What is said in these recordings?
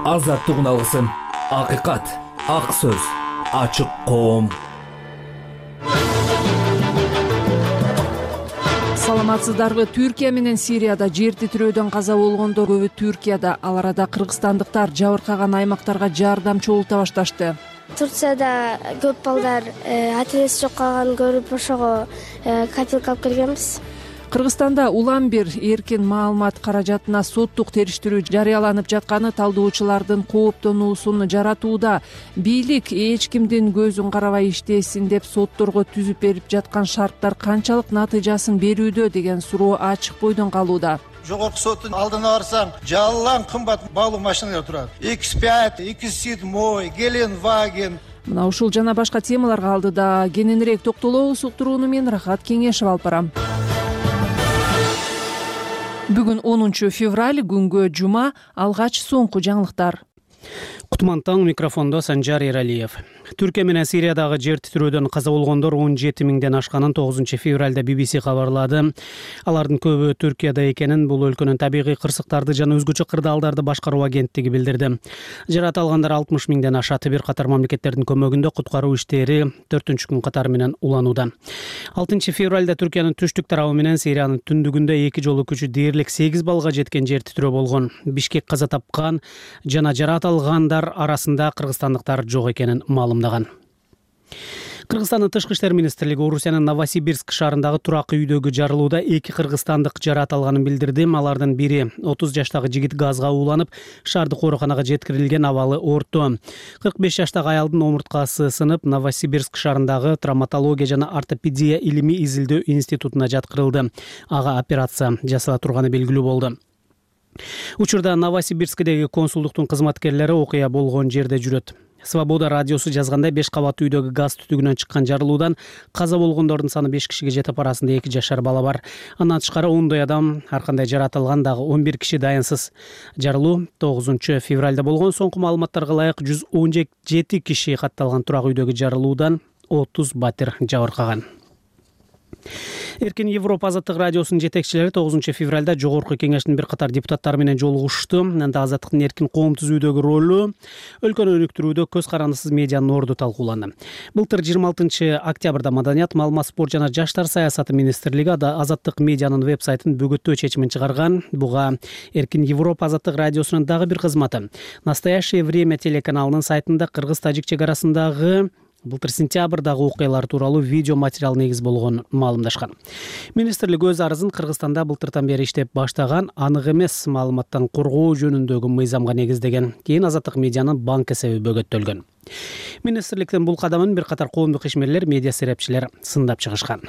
азаттыгын алгысың. Акыйкат, ак сөз, ачык коом. Саламатсыздарбы? Түркия менен Сирияда жер титирөөдөн каза болгондор көбү Түркияда, ал арада кыргызстандыктар жабыркаган аймактарга жардам чогулта башташты. Турцияда көп балдар атеист жок калганын көрүп ошого копилка алып келгенбиз. Кыргызстанда улам бир эркин маалымат каражатына соттук териштирүү жарыяланып жатканы талдоочулардын кооптонуусун жаратууда. Бийлик эч кимдин көзүн карабай иштесин деп сотторго түзүп берип жаткан шарттар канчалык натыйжасын берүүдө деген суроо ачык бойдон калууда. Жогорку соттун алдына барсаң, жалаң кымбат баалуу машиналар турат. X5, X7, Gelenwagen. Мына ушул жана башка темаларга алдыда кененирээк токтолобуз. Уктурууну мен Рахат Кеңешев алып барам. Бүгүн 10 февраль, күнгө жума. Алгач соңку жаңылыктар. Кутман таң, микрофондо Санжар Эралиев. Түркия менен Сириядагы жер титирөөдөн каза болгондор 17 миңден ашканын 9 февралда BBC кабарлады. Алардын көбү Түркияда экенин бул өлкөнүн табигый кырсыктарды жана өзгөчө кырдаалдарды башкаруу агенттиги билдирди. Жарат алгандар 60 миңден ашат. Бир катар мамлекеттердин көмөгүндө куткаруу иштери 4-күн катары менен уланууда. 6 февралда Түркиянын түштүк тарабы менен Сириянын түндүгүндө эки жолу күчү дээрлик 8 баллга жеткен жер титирөө болгон. Бишкек каза тапкан жана жарат алгандар арасында кыргызстандыктар жок экенин маалымдаган. Кыргызстандын тышкы иштер министрлиги Орусиянын Новосибирск шаарындагы турак үйдөгү жарылууда 2 кыргызстандык жарат алганын билдирди. Алардын бири 30 жаштагы жигит газга ууланып, шаардык ооруканага жеткирилген, абалы орто. 45 жаштагы аялдын омурткасы сынып, Новосибирск шаарындагы травматология жана ортопедия илимий изилдөө институтуна жаткырылды. Ага операция жасала турганы белгилүү болду. Учурда Новосибирскдеги консулдуктун кызматкерлери окуя болгон жерде жүрөт. Свобода радиосу жазгандай 5 кабаттуу үйдөгү газ түтүгүнөн чыккан жарылуудан каза болгондордун саны 5 кишиге жетип, арасында 2 жашар бала бар. Андан тышкары 10 адам ар кандай жарат алган, дагы 11 киши дайынсыз. Жарылуу 9 февралда болгон. Соңку маалыматтарга ылайык 117 киши катталган турак үйдөгү жарылуудан 30 батир жабыркаган. Эркин Европа азаттык радиосунун жетекчилери 9 февралда Жогорку кеңештин бир катар депутаттары менен жолугушту. Анда азаттыктын эркин коом түзүүдөгү ролу, өлкөнү өнүктүрүүдө көз карандысыз медианын орду талкууланды. Былтыр 26 октябрда Маданият, маалымат, спорт жана жаштар саясаты министрлиги азаттык медианын веб-сайтын бөгөттөө чечимин чыгарган. Буга Эркин Европа азаттык радиосунун дагы бир кызматы Настоящее время телеканалынын сайтында кыргыз-тажик чек арасындагы былтыр сентябрдагы окуялар тууралуу видео материал негиз болгон маалымдашкан. Министрлик өз арызын Кыргызстанда былтыртан бери иштеп баштаган анык эмес маалыматтан коргоо жөнүндөгү мыйзамга негиздеген. Кийин азаттык медианын банк эсеби бөгөттөлгөн. Министрликтин бул кадамын бир катар коомдук ишмерлер, медиа серепчилер сындап чыгышкан.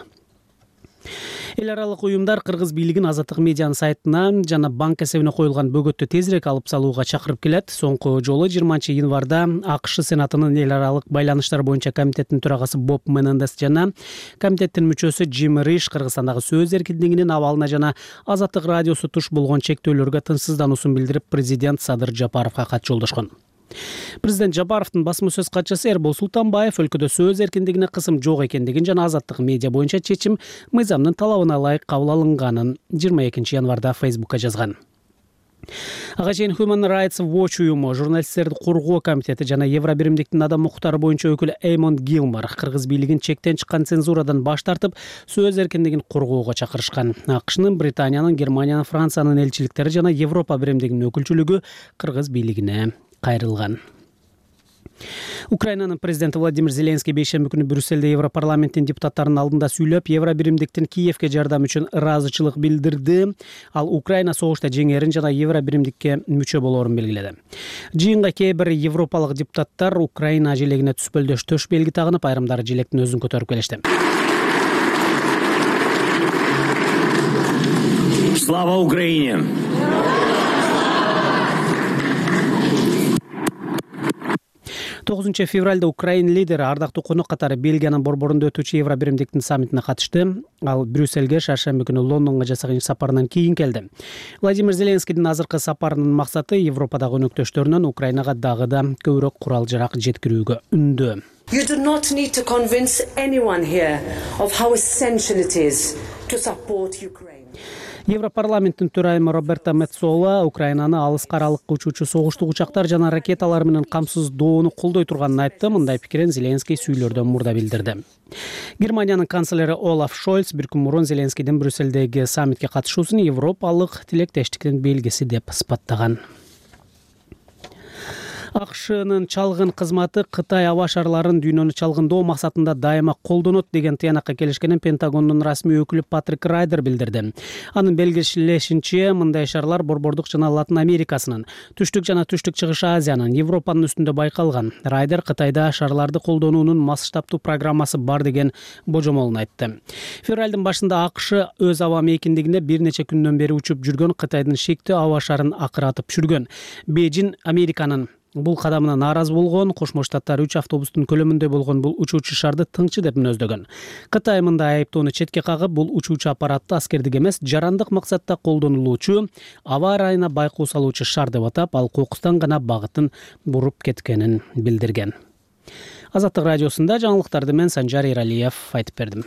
Эл аралык уюмдар кыргыз бийлигин азаттык медианын сайтына жана банк эсебине коюлган бөгөттү тезирээк алып салууга чакырып келет. Соңку жолу 20 январда АКШ Сенатынын эл аралык байланыштар боюнча комитеттин төрагасы Боб Менендес жана комитеттин мүчөсү Джим Риш Кыргызстандагы сөз эркиндигинин абалына жана азаттык радиосу туш болгон чектөөлөргө тынчсыздануусун билдирип, президент Садыр Жапаровго кат жолдошкон. Президент Жапаровдун басма сөз катчысы Эрбол Султанбаев өлкөдө сөз эркиндигине кысым жок экендигин жана азаттык медиа боюнча чечим мыйзамдын талабына ылайык кабыл алынганын 22 январда Фейсбукка жазган. Ага чейин Human Rights Watch уюму, журналисттерди коргоо комитети жана Евробиримдиктин адам укуктары боюнча өкүлү Эймонд Гилмор кыргыз бийлигин чектен чыккан цензурадан баш тартып, сөз эркиндигин коргоого чакырышкан. АКШнын, Британиянын, Германиянын, Франциянын элчиликтери жана Европа биримдигинин өкүлчүлүгү кыргыз бийлигине кайрылган. Украинанын президенти Владимир Зеленский бейшемби күнү Брюссельде Европарламенттин депутаттарынын алдында сүйлөп, Евробиримдиктин Киевке жардам үчүн ыраазычылык билдирди. Ал Украина согушта жеңерин жана Евробиримдикке мүчө болоорун белгиледи. Жыйынга кээ бир европалык депутаттар Украина желегине түспөлдөш төш белги тагынып, айрымдары желектин өзүн көтөрүп келишти. Слава Украине! 9 февралда Украин лидери ардактуу конок катары Бельгиянын борборунда өтүүчү Евробиримдиктин саммитине катышты. Ал Брюссельге шаршемби күнү Лондонго жасаган сапарынан кийин келди. Владимир Зеленскийдин азыркы сапарынын максаты Европадагы өнөктөштөрүнөн Украинага дагы да көбүрөөк курал-жарак жеткирүүгө үндөө. You do not need to convince anyone here of how essential it is to support Ukraine. Европарламенттин төрайымы Роберта Меццола Украинаны алыска аралыкка учуучу согуштук учактар жана ракеталар менен камсыздоону колдой турганын айтты. Мындай пикирин Зеленский сүйлөрдөн мурда билдирди. Германиянын канцлери Олаф Шольц бир күн мурун Зеленскийдин Брюссельдеги саммитке катышуусун европалык тилектештиктин белгиси деп сыпаттаган. АКШнын чалгын кызматы Кытай аба шарларын дүйнөнү чалгындоо максатында дайыма колдонот деген тыянакка келишкенин Пентагондун расмий өкүлү Патрик Райдер билдирди. Анын белгилешинче, мындай шарлар Борбордук жана Латын Америкасынын, Түштүк жана Түштүк Чыгыш Азиянын, Европанын үстүндө байкалган. Райдер Кытайда шарларды колдонуунун масштабтуу программасы бар деген божомолун айтты. Февралдын башында АКШ өз аба мейкиндигинде бир нече күндөн бери учуп жүргөн Кытайдын шектүү аба шарын акыратып жүргөн. Бейжин Американын бул кадамына нааразы болгон. Кошмо Штаттар 3 автобустун көлөмүндөй болгон бул учуучу шарды тыңчы деп мүнөздөгөн. Кытай мындай айыптоону четке кагып, бул учуучу аппаратты аскердик эмес, жарандык максатта колдонулуучу, аба ырайына байкоо салуучу шар деп атап, ал кокустан гана багытын буруп кеткенин билдирген. Азаттык радиосунда жаңылыктарды мен Санжар Эралиев айтып бердим.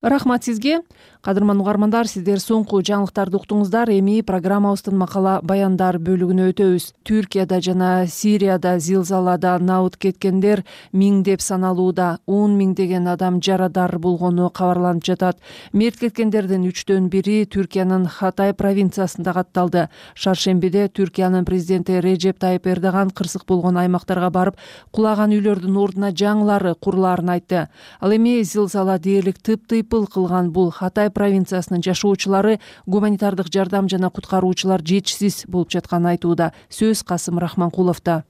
Рахмат сизге. Кадырман угармандар, сиздер соңку жаңылыктарды уктуңуздар. Эми программабыздын макала баяндар бөлүгүнө өтөбүз. Түркияда жана Сирияда зилзалада наут кеткендер миңдеп саналууда. 10 миңдеген адам жарадар болгону кабарланып жатат. Мерт кеткендердин 3төн бири Түркиянын Хатай провинциясында катталды. Шаршембиде Түркиянын президенти Режеп Тайып Эрдоган кырсык болгон аймактарга барып, кулаган үйлөрдүн ордуна жаңылары курулаарын айтты. Ал эми зилзала дээрлик тыйпыл кылган бул Хатай провинциясынын жашоочулары гуманитардык жардам жана куткаруучулар жетишсиз болуп жатканын айтууда. Сөз Касым Рахманкуловдо.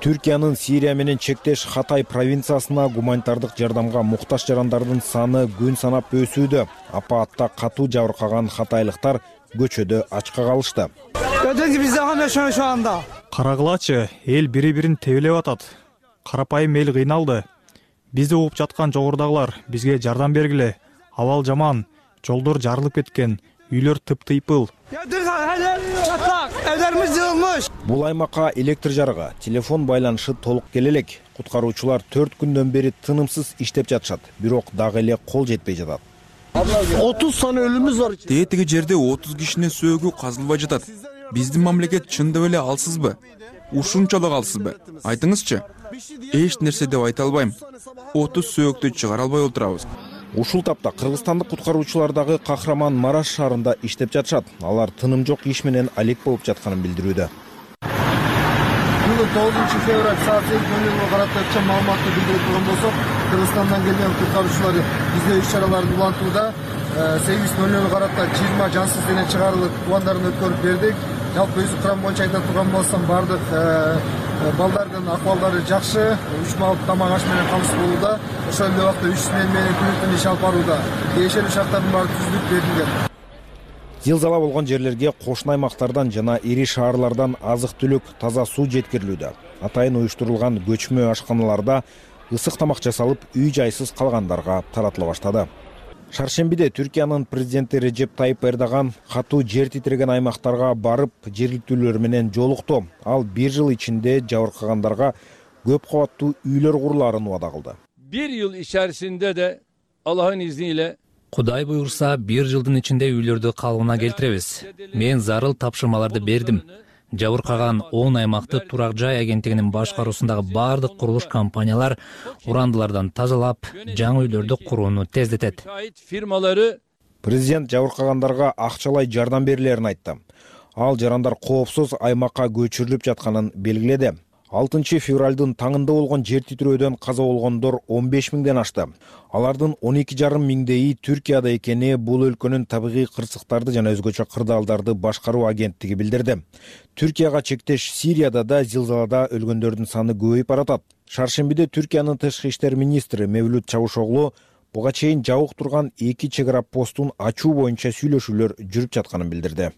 Түркиянын Сирия менен чектеш Хатай провинциясына гуманитардык жардамга муктаж жарандардын саны күн санап өсүүдө. Апаатта катуу жабыркаган хатайлыктар көчөдө ачка калышты. Карагылачы, эл бири-бирин тебелеп атат. Карапайым эл кыйналды. Бизди угуп жаткан жогорудагылар бизге жардам бергиле. Абал жаман, жолдор жарылып кеткен, үйлөр тыптыйпыл. Бул аймакка электр жарыгы, телефон байланышы толук келе элек. Куткаруучулар 4 күндөн бери тынымсыз иштеп жатышат, бирок дагы эле кол жетпей жатат. 30 сан өлүмүз бар. Тетиги жерде 30 кишинин сөөгү казылбай жатат. Биздин мамлекет чындап эле алсызбы? Ушунчалык алсызбы? Айтыңызчы. Эч нерсе деп айта албайм. 30 сөөгүктү чыгара албай отурабыз. Ушул тапта кыргызстандык куткаруучулар дагы Кахраман Мараш шаарында иштеп жатышат. Алар тыным жок иш менен алек болуп жатканын билдирүүдө. Бүгүн 9 февраль саат 8:00 карата өткөн маалыматты билдирип турган болсок, Кыргызстандан келген куткаруучулар бизде иш-чараларды улантууда. 8:00 карата 20 жансыз дене чыгарылып, тубандарын өткөрүп бердик. Жалпы өзү курам боюнча айта турган болсом, бардык балдардын акыбалдары жакшы, 3 маал тамак аш менен камсыз болууда. Ошол эле убакта 3 смен менен күнүнөн иш алып барууда. Тиешелүү шарттардын баары түзүлүп берилген. Зилзала болгон жерлерге кошуна аймактардан жана ири шаарлардан азык-түлүк, таза суу жеткирилүүдө. Атайын уюштурулган көчмө ашканаларда ысык тамак жасалып, үй-жайсыз калгандарга таратыла баштады. Шаршембиде Түркиянын президенти Режеп Тайып Эрдоган катуу жер титиреген аймактарга барып, жергиликтүүлөр менен жолукту. Ал 1 жыл ичинде жабыркагандарга көп кабаттуу үйлөр курулаарын убада кылды. 1 yıl içerisinde de Allah'ın izniyle Кудай буйрса 1 жылдын ичинде үйлөрдү калыбына келтиребиз. Мен зарыл тапшырмаларды бердим. Жабыркаган 10 аймакты турак жай агенттигинин башкаруусундагы бардык курулуш компаниялар урандылардан тазалап, жаңы үйлөрдү курууну тездетет. Президент жабыркагандарга акчалай жардам берилерин айтты. Ал жарандар коопсуз аймакка көчүрүлүп жатканын белгиледи. 6 февралдын таңында болгон жер титирөөдөн каза болгондор 15 миңден ашты. Алардын 12,5 миңдейи Түркияда экени бул өлкөнүн табигый кырсыктарды жана өзгөчө кырдаалдарды башкаруу агенттиги билдирди. Түркияга чектеш Сирияда да зилзалада өлгөндөрдүн саны көбөйүп баратат. Шаршембиде Түркиянын тышкы иштер министри Мевлют Чавушоглу буга чейин жабык турган 2 чек ара постун ачуу боюнча сүйлөшүүлөр жүрүп жатканын билдирди.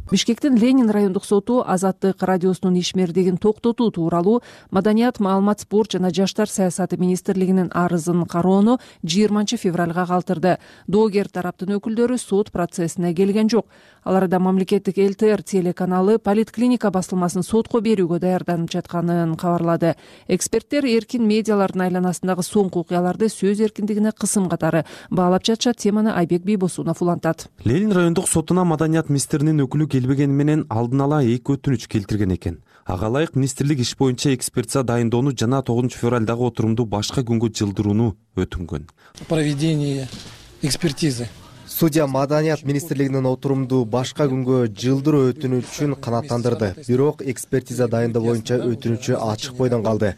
Бишкектин Ленин райондук соту Азаттык радиосунун ишмердигин токтотуу тууралуу Маданият, маалымат, спорт жана жаштар саясаты министрлигинин арызын кароону 20 февралга калтырды. Доогер тараптын өкүлдөрү сот процессине келген жок. Аларда мамлекеттик ЛТР телеканалы Политклиника басылмасын сотко берүүгө даярданып жатканын кабарлады. Эксперттер эркин медиалардын айланасындагы соңку окуяларды сөз эркиндигине кысым катары баалап жатышат. Теманы Айбек Бийбосунов улантат. Ленин райондук сотуна Маданият министринин өкүлү келбегени менен алдын ала 2 өтүнүч келтирген экен. Ага ылайык министрлик иш боюнча экспертиза дайындоону жана 9 февралдагы отурумду башка күнгө жылдырууну өтүнгөн. Проведение экспертизы. Судья Маданият министрлигинин отурумду башка күнгө жылдыруу өтүнүчүн канааттандырды. Бирок экспертиза дайындоо боюнча өтүнүчү ачык бойдон калды.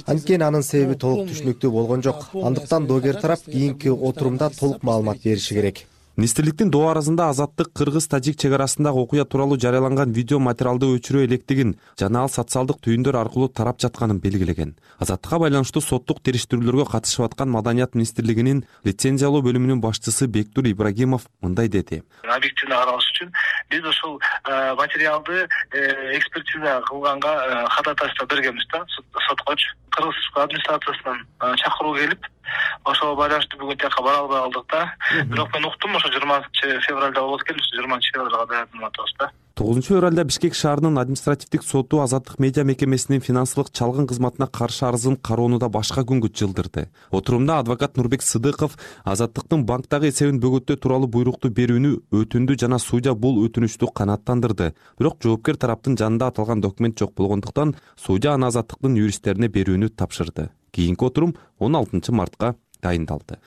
Анткени анын себеби толук түшүнүктүү болгон жок. Андыктан доогер тарап кийинки отурумда толук маалымат бериши керек. Министрликтин доо арызында Азаттык кыргыз-тажик чек арасындагы окуя тууралуу жарыяланган видео материалды өчүрө электигин жана ал социалдык түйүндөр аркылуу тарап жатканын белгилеген. Азаттыкка байланыштуу соттук териштирүүлөргө катышып аткан Маданият министрлигинин лицензиялоо бөлүмүнүн башчысы Бектур Ибрагимов мындай деди. Объективдүү караш үчүн биз ошол материалды экспертиза кылганга ходатайство бергенбиз да соткочу. Кыргыз администрациясынан чакыруу келип, ошого байланыштуу бүгүн тияка бара албай калдык да. Бирок мен уктум ошо 20 февралда болот экен, 20 февралга даярданып атабыз да. 9 февралда Бишкек шаарынын административдик соту Азаттык медиа мекемесинин финансылык чалгын кызматына каршы арызын кароону да башка күнгө жылдырды. Отурумда адвокат Нурбек Сыдыков Азаттыктын банктагы эсебин бөгөттөө тууралуу буйрукту берүүнү өтүндү жана судья бул өтүнүчтү канааттандырды. Бирок жоопкер тараптын жанында аталган документ жок болгондуктан судья аны Азаттыктын юристтерине берүүнү тапшырды. Кийинки отурум 16 мартка дайындалды.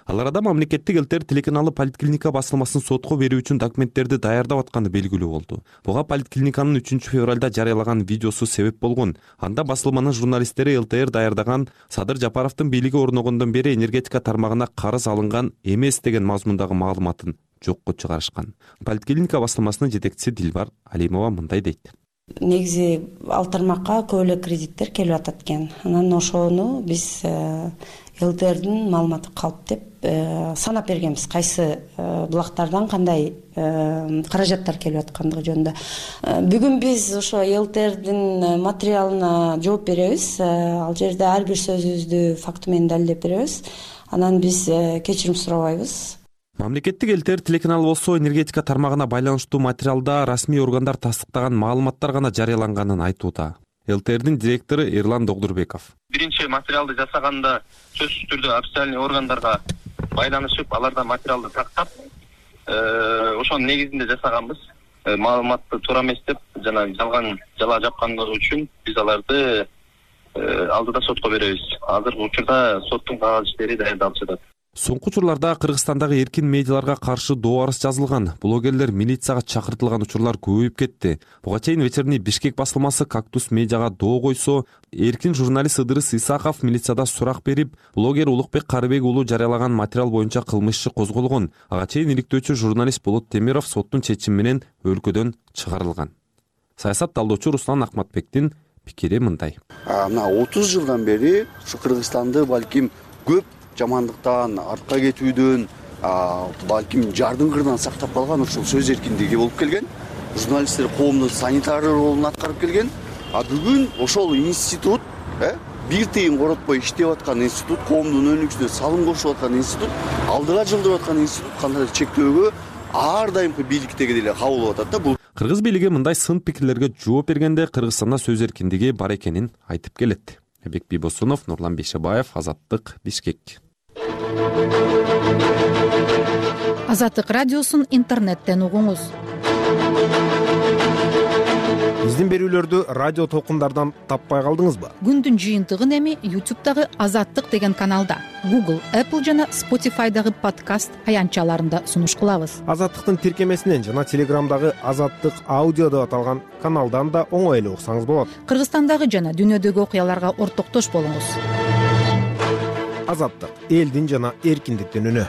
Ал арада мамлекеттик ЛТР телеканалы Политклиника басылмасын сотко берүү үчүн документтерди даярдап атканы белгилүү болду. Буга Политклиниканын 3 февралда жарыялаган видеосу себеп болгон. Анда басылманын журналисттери ЛТР даярдаган Садыр Жапаровдун бийлиги орногондон бери энергетика тармагына карыз алынган эмес деген мазмундагы маалыматын жокко чыгарышкан. Политклиника басылмасынын жетекчиси Дилбар Алимова мындай дейт. Негизи ал тармакка көп эле кредиттер келип атат экен. Анан ошону биз ЛТРдин маалыматы калп деп санап бергенбиз. Кайсы булактардан кандай каражаттар келип аткандыгы жөнүндө. Бүгүн биз ошо ЛТРдин материалына жооп беребиз. Ал жерде ар бир сөзүбүздү факты менен далилдеп беребиз. Анан биз кечирим сурабайбыз. Мамлекеттик ЛТР телеканалы болсо энергетика тармагына байланыштуу материалда расмий органдар тастыктаган маалыматтар гана жарыяланганын айтууда. ЛТРдин директору Эрлан Догдурбеков. Биринчи материалды жасаганда сөзсүз түрдө официальный органдарга байланышып, алардан материалды тактап, ошонун негизинде жасаганбыз. Маалыматты туура эмес деп жана жалган жала жапкандыгы үчүн биз аларды алдыда сотко беребиз. Азыркы учурда соттун кагаз иштери даярдалып жатат. Соңку учурларда Кыргызстандагы эркин медиаларга каршы доо арыз жазылган. Блогерлер милицияга чакыртылган учурлар көбөйүп кетти. Буга чейин вечерний Бишкек басылмасы Кактус медиага доо койсо, эркин журналист Ыдырыс Исаков милицияда сурак берип, блогер Улукбек Карыбек уулу жарыялаган материал боюнча кылмыш иши козголгон. Ага чейин иликтөөчү журналист Болот Темиров соттун чечими менен өлкөдөн чыгарылган. Саясат талдоочу Руслан Акматбектин пикири мындай. Мына 30 жылдан бери ушу Кыргызстанды балким көп жамандыктан, артка кетүүдөн, балким жардын кырынан сактап калган ушул сөз эркиндиги болуп келген. Журналисттер коомдун санитар ролун аткарып келген. Бүгүн ошол институт, бир тыйын коротпой иштеп аткан институт, коомдун өнүгүшүнө салым кошуп аткан институт, алдыга жылдырып аткан институт кандайдыр чектөөгө ар дайымкы бийликтеги деле кабыл болуп атат да. Кыргыз бийлиги мындай сын пикирлерге жооп бергенде Кыргызстанда сөз эркиндиги бар экенин айтып келет. Айбек Бийбосунов, Нурлан Бейшебаев, Азаттык, Бишкек. Азаттык радиосун интернеттен угуңуз. Биздин берүүлөрдү радио толкундардан таппай калдыңызбы? Күндүн жыйынтыгын эми YouTube'дагы Азаттык деген каналда, Google, Apple жана Spotify'дагы подкаст аянтчаларында сунуш кылабыз. Азаттыктын тиркемесинен жана Телеграмдагы Азаттык аудио деп аталган каналдан да оңой эле уксаңыз болот. Кыргызстандагы жана дүйнөдөгү окуяларга ортоктош болуңуз. Азаттык, элдин жана эркиндиктин үнү.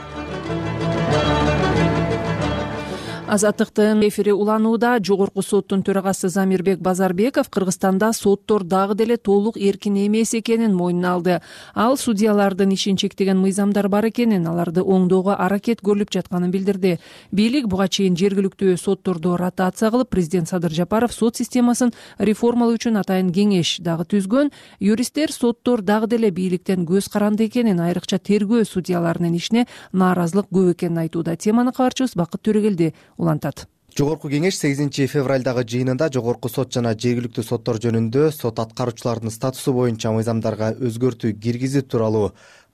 Азаттыктын эфири уланууда. Жогорку соттун төрагасы Замирбек Базарбеков Кыргызстанда соттор дагы деле толук эркин эмес экенин мойнуна алды. Ал судьялардын ишин чектеген мыйзамдар бар экенин, аларды оңдоого аракет көрүлүп жатканын билдирди. Бийлик буга чейин жергиликтүү сотторду ротация кылып, президент Садыр Жапаров сот системасын реформалоо үчүн атайын кеңеш дагы түзгөн. Юристтер соттор дагы деле бийликтен көз каранды экенин, айрыкча тергөө судьяларынын ишине нааразылык көп экенин айтууда. Теманы кабарчыбыз Бакыт Төрөгелди улантат. Жогорку кеңеш 8 февралдагы жыйынында жогорку сот жана жергиликтүү соттор жөнүндө сот аткаруучулардын статусу боюнча мыйзамдарга өзгөртүү киргизүү тууралуу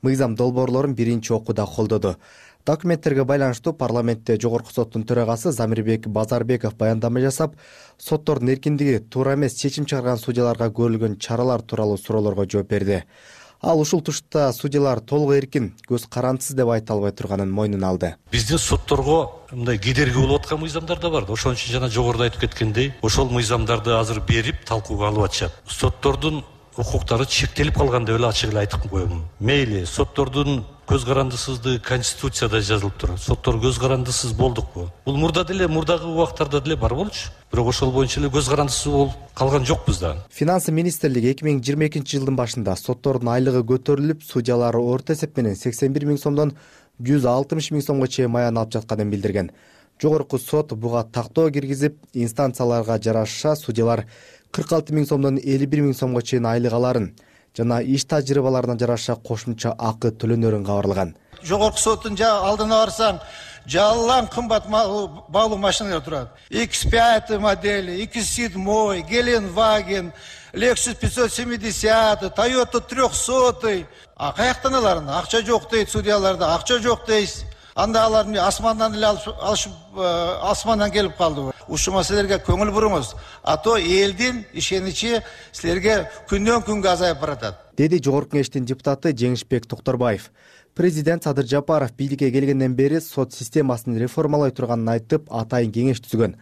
мыйзам долбоорлорун биринчи окууда колдоду. Документтерге байланыштуу парламентте жогорку соттун төрагасы Замирбек Базарбеков баяндама жасап, соттордун эркиндиги туура эмес чечим чыгарган судьяларга көрүлгөн чаралар тууралуу суроолорго жооп берди. Ал ушул тушта судьялар толук эркин, көз карандысыз деп айта албай турганын мойнуна алды. Биздин сотторго мындай кедерги болуп аткан мыйзамдар да бар. Ошон үчүн жана жогоруда айтып кеткендей, ошол мыйзамдарды азыр берип талкууга алып атышат. Соттордун укуктары чектелип калган деп эле ачык эле айтып коем. Мейли, соттордун көз карандысыздыгы Конституцияда жазылып турат. Соттор көз карандысыз болдукпу? Бул мурдагы убактарда деле бар болчу. Бирок ошол боюнча эле көз карандысыз болуп калган жокпуз да. Финансы министрлиги 2022 жылдын башында соттордун айлыгы көтөрүлүп, судьялар орто эсеп менен 81 миң сомдон 160 миң сомго чейин маян алып жатканын билдирген. Жогорку сот буга тактоо киргизип, инстанцияларга жараша судьялар 46 миң сомдон 51 миң сомго чейин айлык аларын жана иш тажрыйбаларына жараша кошумча акы төлөнөрүн кабарлаган. Жогорку соттун алдына барсаң, жалаң кымбат баалуу машиналар турат. X5 модели, X7, Gelenwagen, Lexus 570, Toyota 300. Каяктан аларын? Акча жок дейт судьяларда, акча жок дейсиз. Анда аларды асмандан эле алышып, асмандан келип калды. Ушул маселелерге көңүл буруңуз. А то элдин ишеничи силерге күндөн күнгө азайып баратат. Деди жогорку кеңештин депутаты Жеңишбек Токторбаев. Президент Садыр Жапаров бийликке келгенден бери сот системасын реформалай турганын айтып, атайын кеңеш түзгөн.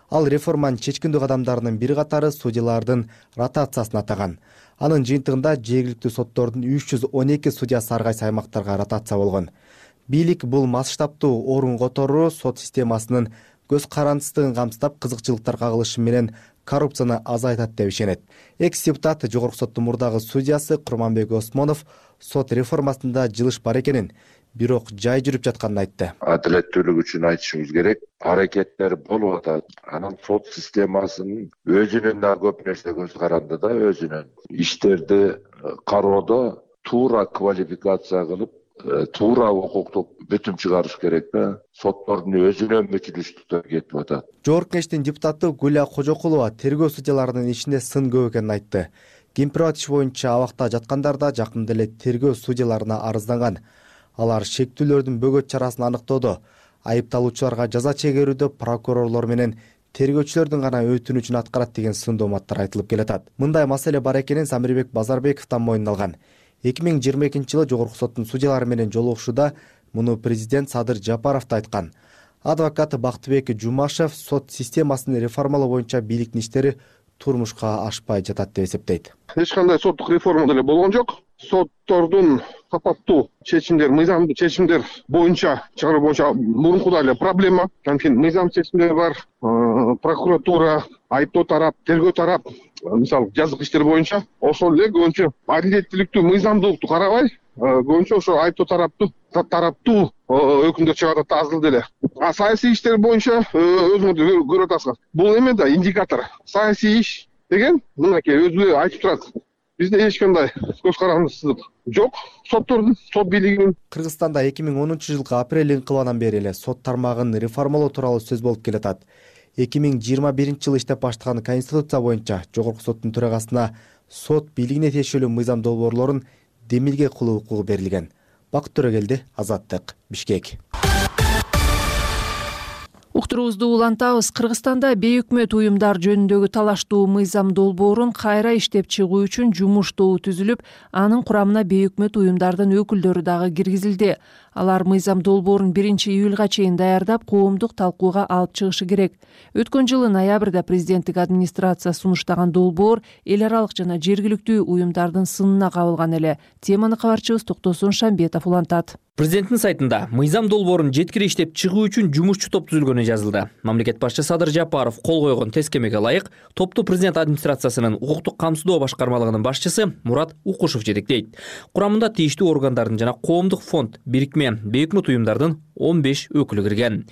Ал реформанын чечкиндүү кадамдарынын бир катары судьялардын ротациясын атаган. Анын жыйынтыгында жергиликтүү соттордун 312 судьясы ар кайсы аймактарга ротация болгон. Бийлик бул масштабтуу орун которуу сот системасынын көз карандысыздыгын камсыздап, кызыкчылыктар кагылышы менен коррупцияны азайтат деп ишенет. Экс-депутат жогорку соттун мурдагы судьясы Курманбек Осмонов сот реформасында жылыш бар экенин, бирок жай жүрүп жатканын айтты. Адилеттүүлүк үчүн айтышыбыз керек. Аракеттер болуп атат. Анын сот системасынын өзүнүн да көп нерсе көз каранды да, өзүнүн иштерди кароодо туура квалификация кылып, туура укуктук бүтүм чыгарыш керек да. Соттордун өзүнөн мүчүлүштүктөр кетип атат. Жогорку кеңештин депутаты Гүлия Кожокулова тергөө судьяларынын ишинде сын көп экенин айтты. Кемпирбат иш боюнча абакта жаткандар да жакында эле тергөө судьяларына арызданган. Алар шектүүлөрдүн бөгөт чарасын аныктоодо, айыпталуучуларга жаза чегерүүдө прокурорлор менен тергөөчүлөрдүн гана өтүнүчүн аткарат деген сын дооматтар айтылып келатат. Мындай маселе бар экенин Замирбек Базарбековдон мойнуна алган. 2022 жылы жогорку соттун судьялары менен жолугушууда муну президент Садыр Жапаров да айткан. Адвокат Бактыбек Жумашев сот системасын реформалоо боюнча бийликтин иштери турмушка ашпай жатат деп эсептейт. Эч кандай соттук реформа деле болгон жок. Соттордун сапаттуу чечимдер, мыйзамдуу чечимдер боюнча чыгаруу боюнча мурункудай эле проблема. Анткени мыйзам чечимдер бар, прокуратура, айыптоо тарап, тергөө тарап, мисалы жазык иштер боюнча ошол эле көбүнчө адилеттүүлүктү, мыйзамдуулукту карабай, көбүнчө ошо айыптоо тараптуу өкүмдөр чыгарат аз деле. А саясий иштер боюнча өзүңөр көрүп атасыздар. Бул эме да индикатор. Саясий иш деген мынакей өзү айтып турат. Бизде эч кандай көз карандысыздык жок. Соттордун, сот бийлигинин. Кыргызстанда 2010 жылкы апрель инкылабынан бери эле сот тармагын реформалоо тууралуу сөз болуп келатат. 2021 жылы иштеп баштаган Конституция боюнча жогорку соттун төрагасына сот бийлигине тиешелүү мыйзам долбоорлорун демилге кылуу укугу берилген. Бакыт Төрөгелди, Азаттык, Бишкек. Уктуруубузду улантабыз. Кыргызстанда бейөкмөт уюмдар жөнүндөгү талаштуу мыйзам долбоорун кайра иштеп чыгуу үчүн жумуш тобу түзүлүп, анын курамына бейөкмөт уюмдардын өкүлдөрү дагы киргизилди. Алар мыйзам долбоорун 1-июлга чейин даярдап, коомдук талкууга алып чыгышы керек. Өткөн жылы ноябрда президенттик администрация сунуштаган долбоор эл аралык жана жергиликтүү уюмдардын сынына кабылган эле. Теманы кабарчыбыз Токтосун Шамбетов улантат. Президенттин сайтында мыйзам долбоорун жеткире иштеп чыгуу үчүн жумушчу топ түзүлгөнү жазылды. Мамлекет башчысы Садыр Жапаров кол койгон тескемеге ылайык, топту президент администрациясынын укуктук камсыздоо башкармалыгынын башчысы Мурат Укушев жетектейт. Курамында тийиштүү органдардын жана коомдук фонд, бирикме, бейөкмөт уюмдардын 15 өкүлү кирген.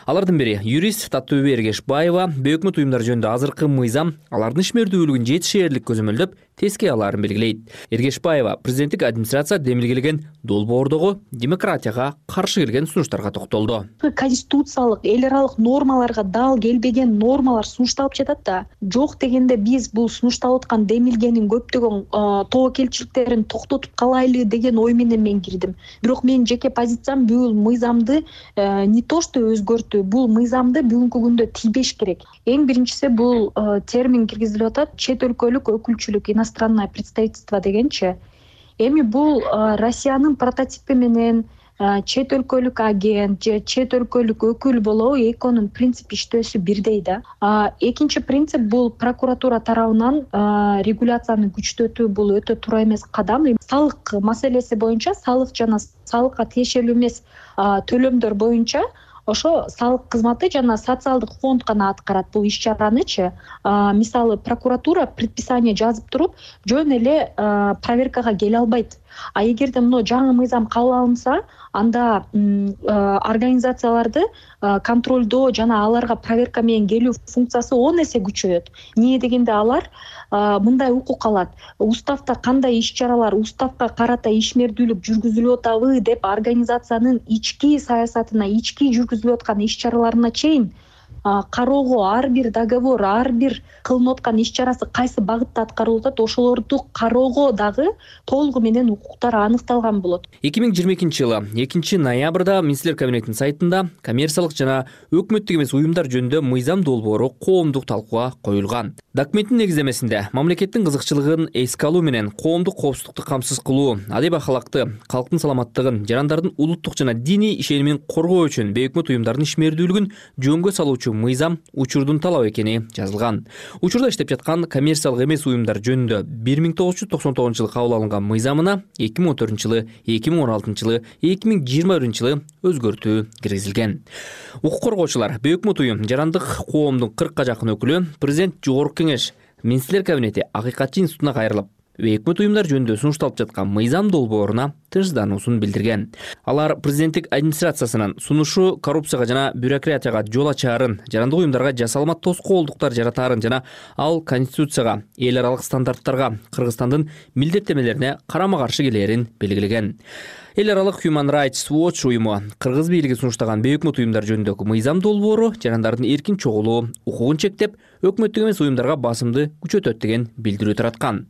Алардын бири юрист Татууби Эргешбаева бейөкмөт уюмдар жөнүндө азыркы мыйзам алардын ишмердүүлүгүн жетишээрлик көзөмөлдөп, тескей алаарын белгилейт. Эргешбаева президенттик администрация демилгелеген долбоордогу демократияга каршы келген сунуштарга токтолду. Конституциялык, эл аралык нормаларга дал келбеген нормалар сунушталып жатат да. Жок дегенде биз бул сунушталып аткан демилгенин көптөгөн тобокелчиликтерин токтотуп калайлы деген ой менен мен кирдим. Бирок менин жеке позициям бул мыйзамды не то что өзгөртүү, бул мыйзамды бүгүнкү күндө тийбеш керек. Эң биринчиси бул термин киргизилип атат, чет өлкөлүк өкүлчүлүк, иностранное представительство дегенчи. Эми бул Россиянын прототипи менен чет өлкөлүк агент же чет өлкөлүк өкүл болобу, экөөнүн принцип иштөөсү бирдей да. Экинчи принцип бул прокуратура тарабынан регуляцияны күчтөтүү, бул өтө туура эмес кадам. Салык маселеси боюнча, салык жана салыкка тиешелүү эмес төлөмдөр боюнча ошо салык кызматы жана социалдык фонд гана аткарат бул иш-чаранычы. Мисалы прокуратура предписание жазып туруп, жөн эле проверкага келе албайт. А эгерде мына жаңы мыйзам кабыл алынса, анда организацияларды контролдоо жана аларга проверка менен келүү функциясы 10 эсе күчөйөт. Эмне дегенде алар мындай укук алат. Уставда кандай иш-чаралар, уставга карата ишмердүүлүк жүргүзүлүп атабы деп организациянын ички саясатына, ички жүргүзүлүп аткан иш-чараларына чейин кароого, ар бир договор, ар бир кылынып аткан иш-чарасы кайсы багытта аткарылып атат, ошолорду кароого дагы толугу менен укуктар аныкталган болот. 2022 жылы 2 ноябрда Министрлер кабинетинин сайтында коммерциялык жана өкмөттүк эмес уюмдар жөнүндө мыйзам долбоору коомдук талкууга коюлган. Документтин негиздемесинде мамлекеттин кызыкчылыгын эске алуу менен коомдук коопсуздукту камсыз кылуу, адеп ахалакты, калктын саламаттыгын, жарандардын улуттук жана диний ишенимин коргоо үчүн бейөкмөт уюмдардын ишмердүүлүгүн жөнгө салуучу мыйзам учурдун талабы экени жазылган. Учурда иштеп жаткан коммерциялык эмес уюмдар жөнүндө 1999 жылы кабыл алынган мыйзамына 2014 жылы, 2016 жылы, 2021 жылы өзгөртүү киргизилген. Укук коргоочулар, бейөкмөт уюм, жарандык коомдун 40 жакын өкүлү президент Жогорку кеңеш, Министрлер кабинети Акыйкатчы институтуна кайрылып, бейөкмөт уюмдар жөнүндө сунушталып жаткан мыйзам долбооруна тынчсыздануусун билдирген. Алар президенттик администрациясынын сунушу коррупцияга жана бюрократияга жол ачаарын, жарандык уюмдарга жасалма тоскоолдуктар жаратаарын жана ал конституцияга, эл аралык стандарттарга, Кыргызстандын милдеттенмелерине карама-каршы келээрин белгилеген. Эл аралык Human Rights Watch уюму кыргыз бийлиги сунуштаган бейөкмөт уюмдар жөнүндөгү мыйзам долбоору жарандардын эркин чогулуу укугун чектеп, өкмөттүк эмес уюмдарга басымды күчөтөт деген билдирүү тараткан.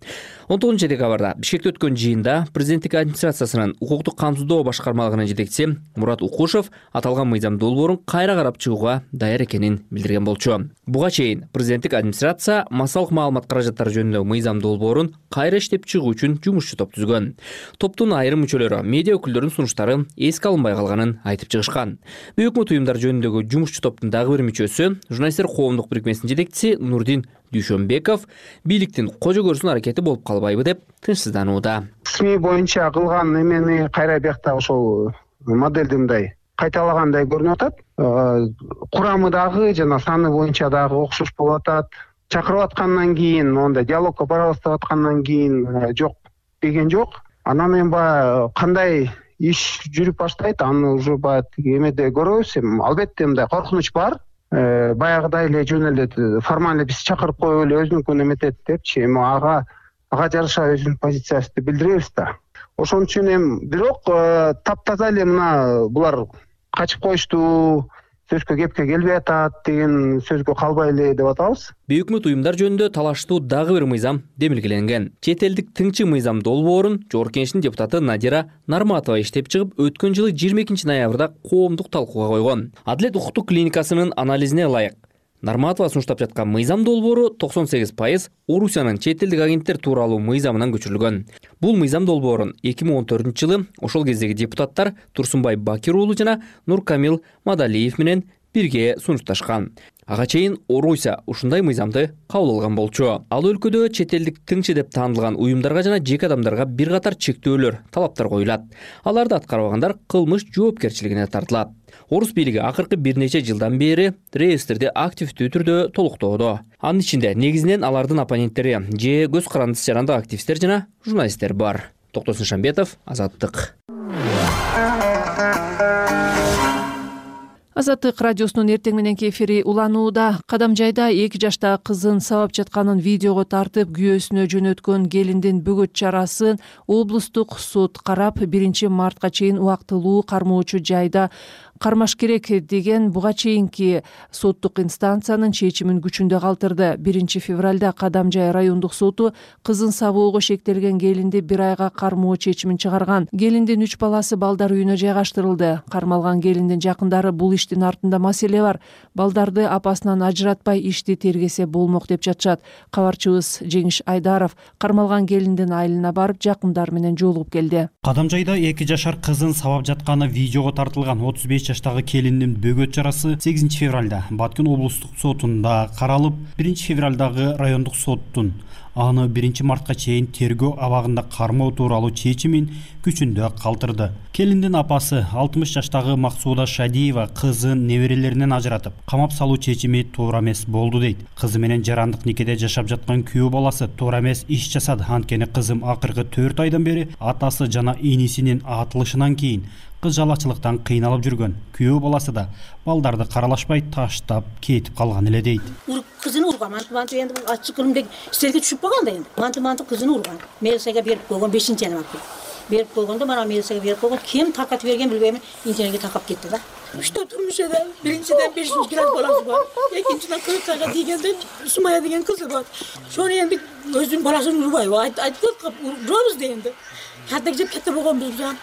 19 декабрда Бишкекте өткөн жыйында президенттик администрациясынын укуктук камсыздоо башкармалыгынын жетекчиси Мурат Укушев аталган мыйзам долбоорун кайра карап чыгууга даяр экенин билдирген болчу. Буга чейин президенттик администрация массалык маалымат каражаттары жөнүндө мыйзам долбоорун кайра иштеп чыгуу үчүн жумушчу топ түзгөн. Топтун айрым мүчөлөрү медиа өкүлдөрүнүн сунуштары эске алынбай калганын айтып чыгышкан. Бейөкмөт уюмдар жөнүндөгү жумушчу топтун дагы бир мүчөсү, журналисттер коомдук бирикмесинин жетекчиси Нурдин Дүйшөнбеков бийликтин кожо көрсүн аракети болуп калбайбы деп тынчсызданууда. СМИ боюнча кылган эмени кайра биякта ошол модельди мындай кайталагандай көрүнүп атат. Курамы дагы жана саны боюнча дагы окшош болуп атат. Чакырып аткандан кийин, мондай диалогко барабыз аткандан кийин жок деген жок. Анан эми баягы кандай иш жүрүп баштайт, аны уже баягы эмеде көрөбүз. Албетте мындай коркунуч бар. Баягыдай эле жөн эле формально биз чакырып коюп эле өзүнүкүн эметет депчи, эми ага жараша өзүнүн позициясыбызды билдиребиз да. Ошон үчүн эми бирок таптаза эле мына булар качып коюшту, сөзгө кепке келбей атат деген сөзгө калбай эле деп атабыз. Бейөкмөт уюмдар жөнүндө талаштуу дагы бир мыйзам демилгеленген. Чет элдик тыңчы мыйзам долбоорун Жогорку Кеңештин депутаты Надира Нарматова иштеп чыгып, өткөн жылы 22 ноябрда коомдук талкууга койгон. Адилет укуктук клиникасынын анализине ылайык, Нарматова сунуштап жаткан мыйзам долбоору 98% Орусиянын чет элдик агенттер тууралуу мыйзамынан көчүрүлгөн. Бул мыйзам долбоорун 2014-жылы ошол кездеги депутаттар Турсунбай Бакир уулу жана Нуркамил Мадалиев менен бирге сунушташкан. Ага чейин Орусия ушундай мыйзамды кабыл алган болчу. Ал өлкөдө чет элдик тыңчы деп таанылган уюмдарга жана жеке адамдарга бир катар чектөөлөр, талаптар коюлат. Аларды аткарбагандар кылмыш жоопкерчилигине тартылат. Орус бийлиги акыркы бир нече жылдан бери реестрди активдүү түрдө толуктоодо. Анын ичинде негизинен алардын оппоненттери же көз карандысы жарандык активисттер жана журналисттер бар. Токтосун Шамбетов, Азаттык. Азаттык радиосунун эртең мененки эфири уланууда. Кадамжайда 2 жаштагы кызын сабап жатканын видеого тартып күйөөсүнө жөнөткөн келиндин бөгөт чарасын облустук суд карап 1 мартка чейин убактылуу кармоочу жайда кармаш керек деген буга чейинки соттук инстанциянын чечимин күчүндө калтырды. 1 февралда Кадамжай райондук соту кызын сабоого шектелген келинди 1 айга кармоо чечимин чыгарган. Келиндин 3 баласы балдар үйүнө жайгаштырылды. Кармалган келиндин жакындары бул иштин артында маселе бар, балдарды апасынан ажыратпай ишти тергесе болмок деп жатышат. Кабарчыбыз Жеңиш Айдаров кармалган келиндин айылына барып жакындары менен жолугуп келди. Кадамжайда 2 жашар кызын сабап жатканы видеого тартылган 35 жаштагы келиндин бөгөт чарасы 8 февралда Баткен облустук сотунда каралып, 1 февралдагы райондук соттун аны 1 мартка чейин тергөө абагында кармоо тууралуу чечимин күчүндө калтырды. Келиндин апасы 60 жаштагы Максуда Шадиева кызын неберелеринен ажыратып, камап салуу чечими туура эмес болду дейт. Кызы менен жарандык никеде жашап жаткан күйөө баласы туура эмес иш жасады. Анткени кызым акыркы 4 айдан бери атасы жана инисинин атылышынан кийин кыз жалачылыктан кыйналып жүргөн. Күйөө баласы да балдарды каралашпай таштап кетип калган эле дейт. Кызын урган, манты энди бул ачык кылымдык истерге түшүп калган да энди. Манты кызын урган. Милицияга берип койгон 5-январда. Берип койгондо мана милицияга берип койгон. Ким таркатып берген билбейм, интернетке таркап кетти да. Üçte turmuş eder. Birinciden 500 gram balası var. İkinciden 40 tane diyenden Sumaya деген kızı var. Sonra endi özün balasını urmay. Ayttık urabız deyindi. Hatta gidip kette bolğon biz ya.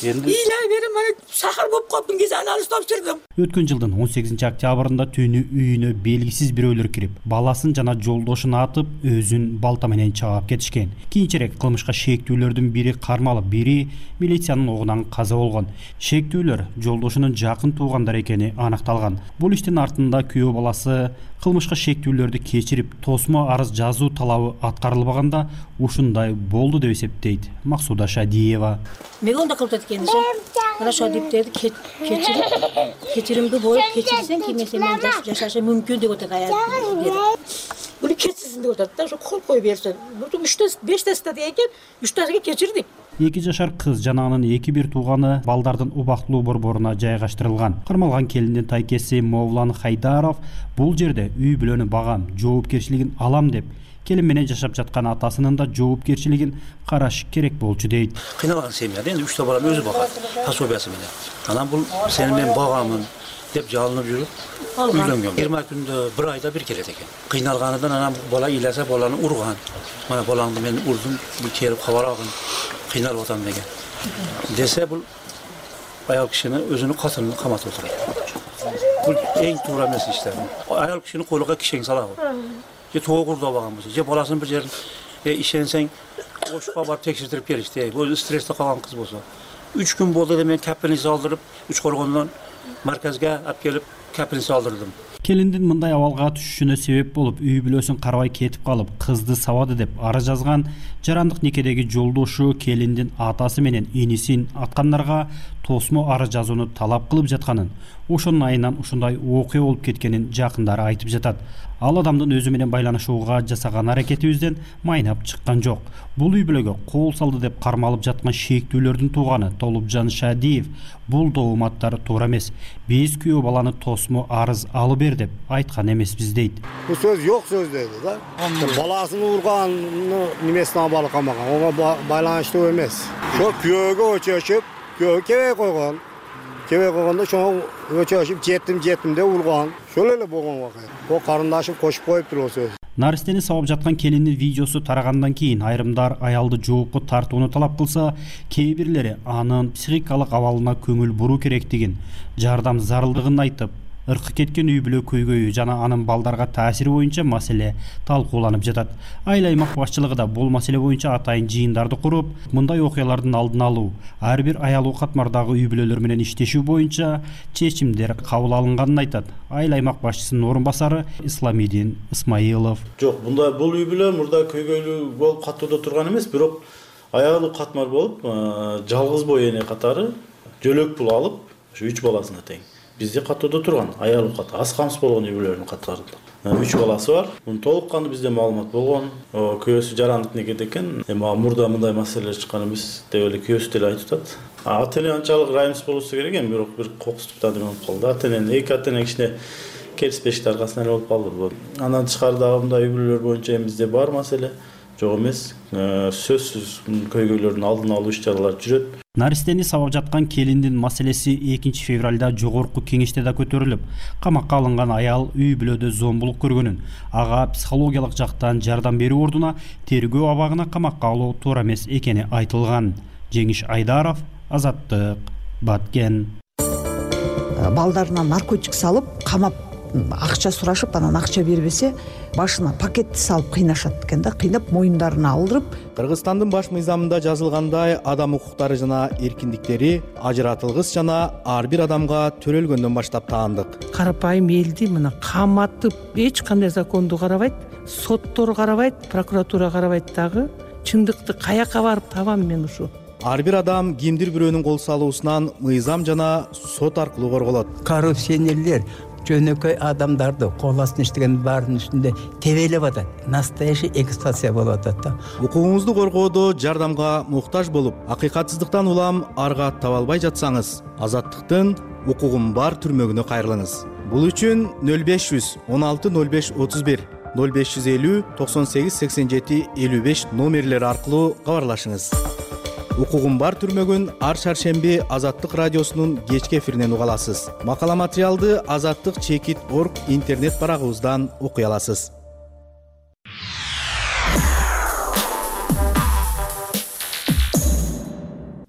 İlahi benim bana sahar болып қалыптың кезде анализ тапсырдым. Өткөн жылдын 18 октябрында түнү үйүнө белгисиз бирөөлөр кирип, баласын жана жолдошун атып, өзүн балта менен чаап кетишкен. Кийинчерээк кылмышка шектүүлөрдүн бири кармалып, бири милициянын огунан каза болгон. Шектүүлөр жолдошунун жакын туугандар экени аныкталган. Бул иштин артында күйөө баласы кылмышка шектүүлөрдү кечирип, тосмо арыз жазуу талабы аткарылбаганда ушундай болду деп эсептейт Максуда Шадиева. Мегонда кылып кеткен Мына Шадиевтерди кечиримди боюп кечирсең кимесе мен жашашы мүмкүн деп атат аял. Бул кетсизин деп атат да, ошо кол коюп берсе. Бул 3-5 деген 3 кечирдик. 2 жашар кыз жана анын 2 тууганы балдардын убактылуу борборуна жайгаштырылган. Кармалган келиндин тайкеси Мовлан Хайдаров бул жерде үй бүлөнү багам, жоопкерчилигин алам деп келин менен жашап жаткан атасынын да жоопкерчилигин караш керек болчу дейт. Кыйналган семьяда энди 3 балам өзү багат, пособиясы менен. Анан бул сени мен багамын деп жалынып жүрүп үйлөнгөн. 20 күндө 1 айда бир келет экен. Кыйналганыдан анан бала ыйласа баланы урган. Мана балаңды мен урдум, бул келип кабар алгын. Кыйналып атам деген. Десе бул аял кишини өзүнүн катынын каматып отурат. Бул эң туура эмес иштер. Аял кишини колуга кишең салабы. Же тоогурда баган болсо, же баласын бир жерин ишенсең ошко барып текшертирип келишти. Өзү стрессте калган кыз болсо. 3 күн болду деп мен капельница алдырып, Үч Коргондон марказга алып келип капельница алдырдым. Келиндин мындай абалга түшүшүнө себеп болуп, үй бүлөсүн карабай кетип калып, кызды сабады деп арыз жазган жарандык никедеги жолдошу келиндин атасы менен инисин аткандарга тосмо арыз жазууну талап кылып жатканын, ошонун айынан ушундай окуя болуп кеткенин жакындары айтып жатат. Ал адамдын өзү менен байланышууга жасаган аракетибизден майнап чыккан жок. Бул үй бүлөгө кол салды деп кармалып жаткан шектүүлөрдүн тууганы Толупжан Шадиев бул дооматтар туура эмес. Биз күйөө баланы тосмо арыз алып бер деп айткан эмеспиз дейт. Бул сөз жок сөз дейт да. Баласын урганны немесине абалы камаган, ого байланыштуу эмес. Ошо күйөөгө өчөшүп, күйөө кебей койгон. Кебей койгондо ошо өчөшүп жеттим деп урган. Ошол эле болгон вакыйга. О карындашым кошуп коюптур о сөз. Наристени сабап жаткан келиндин видеосу тарагандан кийин айрымдар аялды жоопко тартууну талап кылса, кээ бирлери анын психикалык абалына көңүл буруу керектигин, жардам зарылдыгын айтып, ыркы кеткен үй бүлө көйгөйү жана анын балдарга таасири боюнча маселе талкууланып жатат. Айыл аймак башчылыгы да бул маселе боюнча атайын жыйындарды куруп, мындай окуялардын алдын алуу, ар бир аялуу катмардагы үй бүлөлөр менен иштешүү боюнча чечимдер кабыл алынганын айтат айыл аймак башчысынын орун басары Исламидин Исмаилов. Жок, бул үй бүлө мурда көйгөйлүү болуп катууда турган эмес, бирок аялуу катмар болуп, жалгыз бой эне катары жөлөк пул алып, ушу 3 баласына тең. Бизде катууда турган аялуу катары, аз камсыз болгон үй бүлөлөрдүн катарында. 3 баласы бар. Мунун толук кандуу бизде маалымат болгон. Күйөөсү жарандык некеде экен. Мурда мындай маселелер чыккан эмес деп эле күйөөсү деле айтып атат. Ата-эне анчалык райымсыз болбосо керек эми, бирок бир кокустуктан болуп калды. Эки ата-эне кичине келиспештик аркасынан эле болуп калды. Андан тышкары дагы мындай үй бүлөлөр боюнча бизде бар маселе. Жок эмес, сөзсүз көйгөйлөрдүн алдын алуу иш-чаралары жүрөт. Наристени сабап жаткан келиндин маселеси 2 февралда жогорку кеңеште да көтөрүлүп, камакка алынган аял үй бүлөдө зомбулук көргөнүн, ага психологиялык жактан жардам берүү ордуна тергөө абагына камакка алуу туура эмес экени айтылган. Жеңиш Айдаров, Азаттык, Баткен. Балдарына наркотик салып, камап акча сурашып, анан акча бербесе, башына пакетти салып кыйнашат экен да, кыйнап моюндарына алдырып. Кыргызстандын баш мыйзамында жазылгандай адам укуктары жана эркиндиктери ажыратылгыс жана ар бир адамга төрөлгөндөн баштап таандык. Карапайым элди мына каматып, эч кандай законду карабайт, соттор карабайт, прокуратура карабайт дагы. Чындыкты каяка барып табам мен ушу? Ар бир адам кимдир бирөөнүн кол салуусунан мыйзам жана сот аркылуу корголот. Коррупционерлер жөнөкөй адамдарды кол астына иштеген баардын үстүндө тебелеп атат. Настоящий эксплуатация болуп атат да. Укугуңузду коргоодо жардамга муктаж болуп, акыйкатсыздыктан улам арга таба албай жатсаңыз, Азаттыктын укугум бар түрмөгүнө кайрылыңыз. Бул үчүн 0500 16 05 31 0550 98 87 55 номерлери аркылуу кабарлашыңыз. Укугум бар түрмөгүн ар шаршемби Азаттык радиосунун кечки эфиринен уга аласыз. Макала материалды azattik.org интернет барагыбыздан окуй аласыз.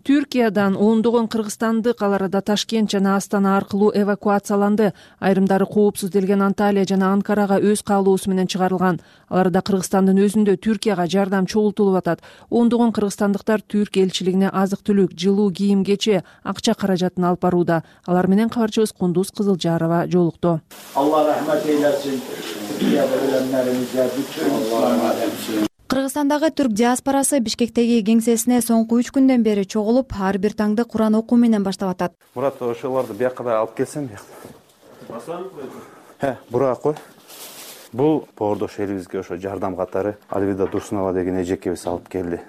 Түркиядан ондогон кыргызстандык ал арада Ташкент жана Астана аркылуу эвакуацияланды. Айрымдары коопсуз делген Анталия жана Анкарага өз каалоосу менен чыгарылган. Ал арада Кыргызстандын өзүндө Түркияга жардам чогултулуп атат. Ондогон кыргызстандыктар Түрк элчилигине азык-түлүк, жылуу кийим-кече, акча каражатын алып барууда. Алар менен кабарчыбыз Кундуз Кызылжарова жолукту. Алла рахмат эйлесин. Түркияда ölenlerimize bütün Кыргызстандагы түрк диаспорасы Бишкектеги кеңсесине соңку 3 күндөн бери чогулуп, ар бир таңды Куран окуу менен баштап атат. Мурат, ошолорду бияка да алып келсем, бура кой. Бул боордош элибизге ошо жардам катары Альвида Дурсунова деген эжекебиз алып келди.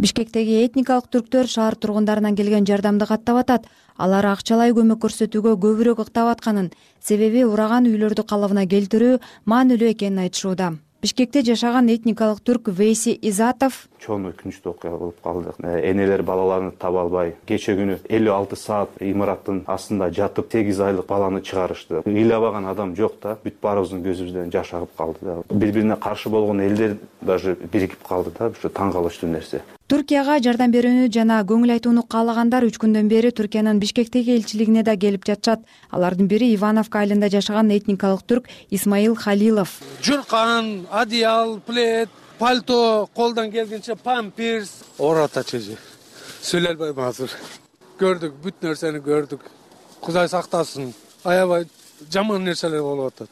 Бишкектеги этникалык түрктөр шаар тургундарынан келген жардамды каттап атат. Алар акчалай көмөк көрсөтүүгө көбүрөөк ыктап атканын, себеби ураган үйлөрдү калыбына келтирүү маанилүү экенин айтышууда. Бишкекте жашаган этникалык түрк Вейси Изатов чоң өкүнүчтүү окуя болуп калды. Энелер балаларын таба албай, кече күнү 56 саат имараттын астында жатып 8 айлык баланы чыгарышты. Ыйлабаган адам жок да, бүт баарыбыздын көзүбүздөн жаш агып калды да. Бири-бирине каршы болгон элдер даже биригип калды да, ушу таң калыштуу нерсе. Туркияга жардам берүүнү жана көңүл айтууну каалагандар 3 күндөн бери Түркиянын Бишкектеги элчилигине да келип жатышат. Алардын бири Ивановка айылында жашаган этникалык түрк Исмаил Халилов. Журкан, одеял, плед, пальто, колдон келгенче памперс, оратачы. Сүйлөй албайм азыр. Көрдүк, бүт нерсени көрдүк. Кудай сактасын. Аябай жаман нерселер болуп атат.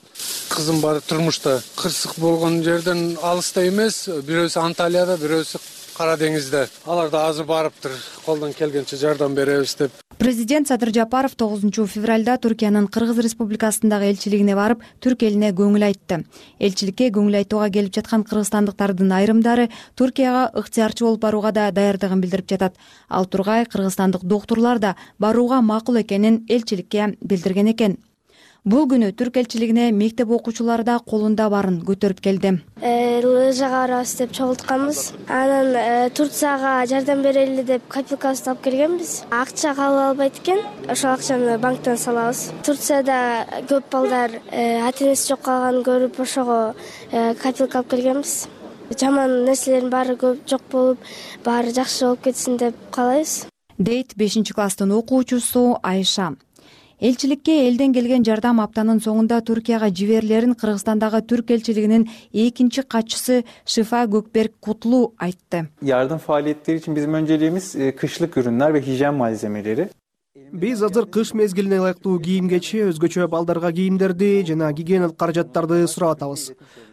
Кызым бар турмушта. Кырсык болгон жерден алыста эмес, бирөөсү Анталияда, бирөөсү Кара деңизде. Алар да азыр барыптыр. Колдон келгенче жардам беребиз деп. Президент Садыр Жапаров 9 февралда Түркиянын Кыргыз Республикасындагы элчилигине барып, түрк элине көңүл айтты. Элчиликке көңүл айтууга келип жаткан кыргызстандыктардын айрымдары Түркияга ыктыярчы болуп барууга да даярдыгын билдирип жатат. Ал тургай кыргызстандык доктурлар да барууга макул экенин элчиликке билдирген экен. Бул күнү түрк элчилигине мектеп окуучулары да колунда барын көтөрүп келди. Лыжага барабыз деп чогултканбыз. Анан Турцияга жардам берели деп копилкабызды алып келгенбиз. Акча кабыл албайт экен. Ошол акчаны банктан салабыз. Турцияда көп балдар ата-энеси жок калганын көрүп, ошого копилка алып келгенбиз. Жаман нерселердин баары көп жок болуп, баары жакшы болуп кетсин деп каалайбыз. Дейт 5-класстын окуучусу Айша. Элчиликке элден келген жардам аптанын соңунда Туркияга жиберилерин Кыргызстандагы түрк элчилигинин экинчи катчысы Шифа Gökberk Kutlu айтты. Yardım faaliyetleri için bizim önceliğimiz kışlık ürünler ve hijyen malzemeleri. Биз азыр кыш мезгилине ылайыктуу кийим-кечи, өзгөчө балдарга кийимдерди жана гигиеналык каражаттарды сурап атабыз.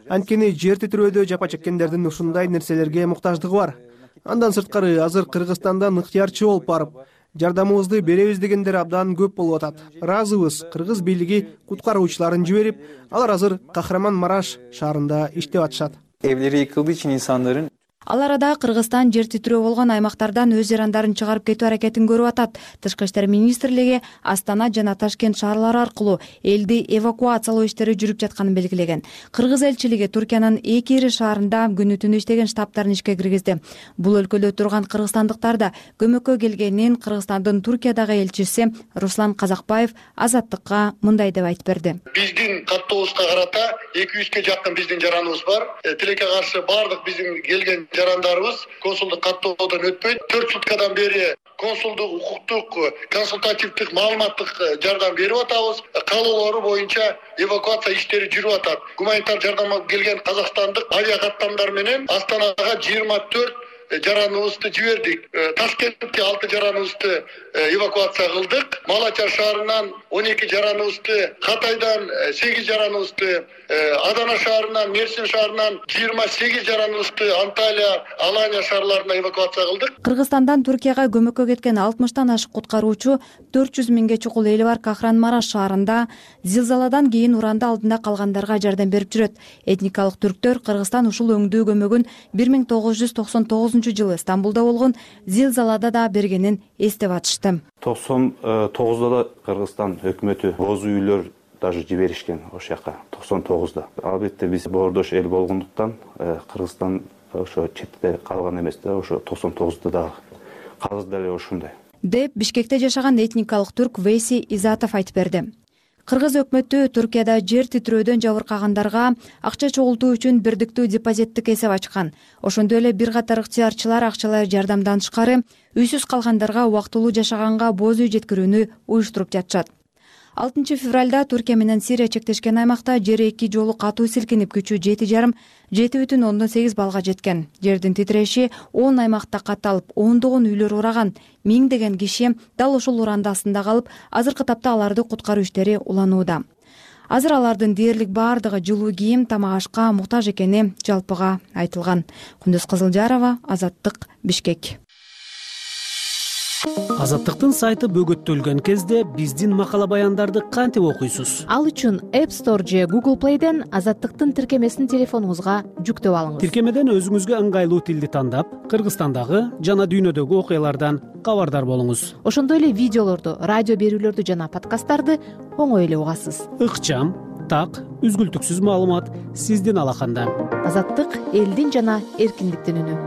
Анткени жер титирөөдө жапа чеккендердин ушундай нерселерге муктаждыгы бар. Андан сырткары азыр Кыргызстандан ыктыярчы болуп барып, жардамыбызды беребиз дегендер абдан көп болуп атат. Ыраазыбыз. Кыргыз бийлиги куткаруучуларын жиберип, алар азыр Кахраман-Мараш шаарында иштеп атышат. Evleri yıkıldığı için insanların Ал арада Кыргызстан жер титирөө болгон аймактардан өз жарандарын чыгарып кетүү аракетин көрүп атат. Тышкы иштер министрлиги Астана жана Ташкент шаарлары аркылуу элди эвакуациялоо иштери жүрүп жатканын белгилеген. Кыргыз элчилиги Туркиянын 2 ири шаарында күнү-түнү иштеген штабтарын ишке киргизди. Бул өлкөдө турган кыргызстандыктар да көмөккө келгенин Кыргызстандын Туркиядагы элчиси Руслан Казакбаев Азаттыкка мындай деп айтып берди. Биздин каттообузга карата 200ге жакын биздин жараныбыз бар. Тилекке каршы бардык биздин келген жарандарыбыз консулдук каттоодон өтпөйт. 4 суткадан бери консулдук, укуктук, консультативдик, маалыматтык жардам берип атабыз. Каалоолору боюнча эвакуация иштери жүрүп атат. Гуманитар жардамга келген казакстандык авиа каттамдар менен Астанага 24 жараныбызды жибердик. Ташкентке 6 жараныбызды эвакуация кылдык. Малачар шаарынан 12 жараныбызды, Катайдан 8 жараныбызды, Адана шаарынан, Мерсин шаарынан 28 жараныбызды Анталия, Алания шаарларына эвакуация кылдык. Кыргызстандан Туркияга көмөккө кеткен 60тан ашык куткаруучу 400 миңге чукул эли бар Кахраман-Мараш шаарында зилзаладан кийин уранда алдында калгандарга жардам берип жүрөт. Этникалык түрктөр Кыргызстан ушул өңдүү көмөгүн 1999-жылы Стамбулда болгон зилзалада да бергенин эстеп атышты. 99'da da Kırgızstan hükümeti boz үйлөр даже жиберишкен ошол жака 99'da. Албетте биз боордош эл болгондуктан Кыргызстан ошо четте калган эмес да, ошо 99'da да казыр деле ошондой. Деп Бишкекте жашаган этникалык түрк Вейси Изатов айтып берди. Кыргыз өкмөтү Туркияда жер титирөөдөн жабыркагандарга акча чогултуу үчүн бирдиктүү депозиттик эсеп ачкан. Ошондой эле бир катар ыктыярчылар акчалай жардамдан тышкары үйсүз калгандарга убактылуу жашаганга боз үй жеткирүүнү уюштуруп жатышат. 6 февралда Туркия менен Сирия чектешкен аймакта жер 2 жолу катуу силкинип күчү 7,7 балга жеткен. Жердин титиреши 10 аймакта катталып, ондогон үйлөр ураган, миңдеген киши дал ошол урандасында калып, азыркы тапта аларды куткаруу иштери уланууда. Азыр алардын дээрлик бардыгы жылуу кийим, тамак ашка муктаж экени жалпыга айтылган. Кундуз Кызылжарова, Азаттык, Бишкек. Азаттыктын сайты бөгөттөлгөн кезде биздин макала баяндарды кантип окуйсуз? Ал үчүн App Store же Google Play'ден Азаттыктын тиркемесин телефонуңузга жүктөп алыңыз. Тиркемеден өзүңүзгө ыңгайлуу тилди тандап, Кыргызстандагы жана дүйнөдөгү окуялардан кабардар болуңуз. Ошондой эле видеолорду, радио берүүлөрдү жана подкасттарды оңой эле угасыз. Ыкчам, так, үзгүлтүксүз маалымат сиздин алаканда. Азаттык элдин жана эркиндиктин үнү.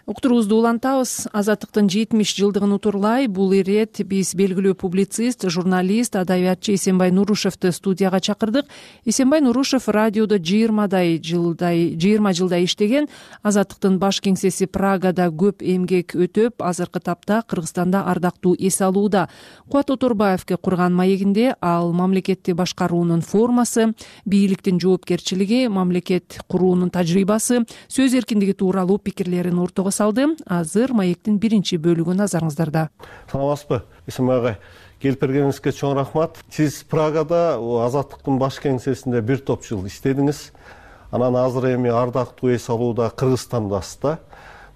Уктуруубузду улантабыз. Азаттыктын 70 жылдыгын утурлай бул ирет биз белгилүү публицист, журналист, адабиятчы Эсенбай Нурушевду студияга чакырдык. Эсенбай Нурушев радиодо 20 жылдай иштеген. Азаттыктын баш кеңсеси Прагада көп эмгек өтөп, азыркы тапта Кыргызстанда ардактуу эс алууда. Кубат Оторбаевге курган маегинде ал мамлекетти башкаруунун формасы, бийликтин жоопкерчилиги, мамлекет куруунун тажрыйбасы, сөз эркиндиги тууралуу пикирлерин ортого салды. Азыр маектин биринчи бөлүгү назарыңыздарда. Саламатсызбы? Эсенбай агай, келип бергениңизге чоң рахмат. Сиз Прагада Азаттыктын баш кеңсесинде бир топ жыл иштедиңиз. Анан азыр эми ардактуу эс алууда Кыргызстандасыз да.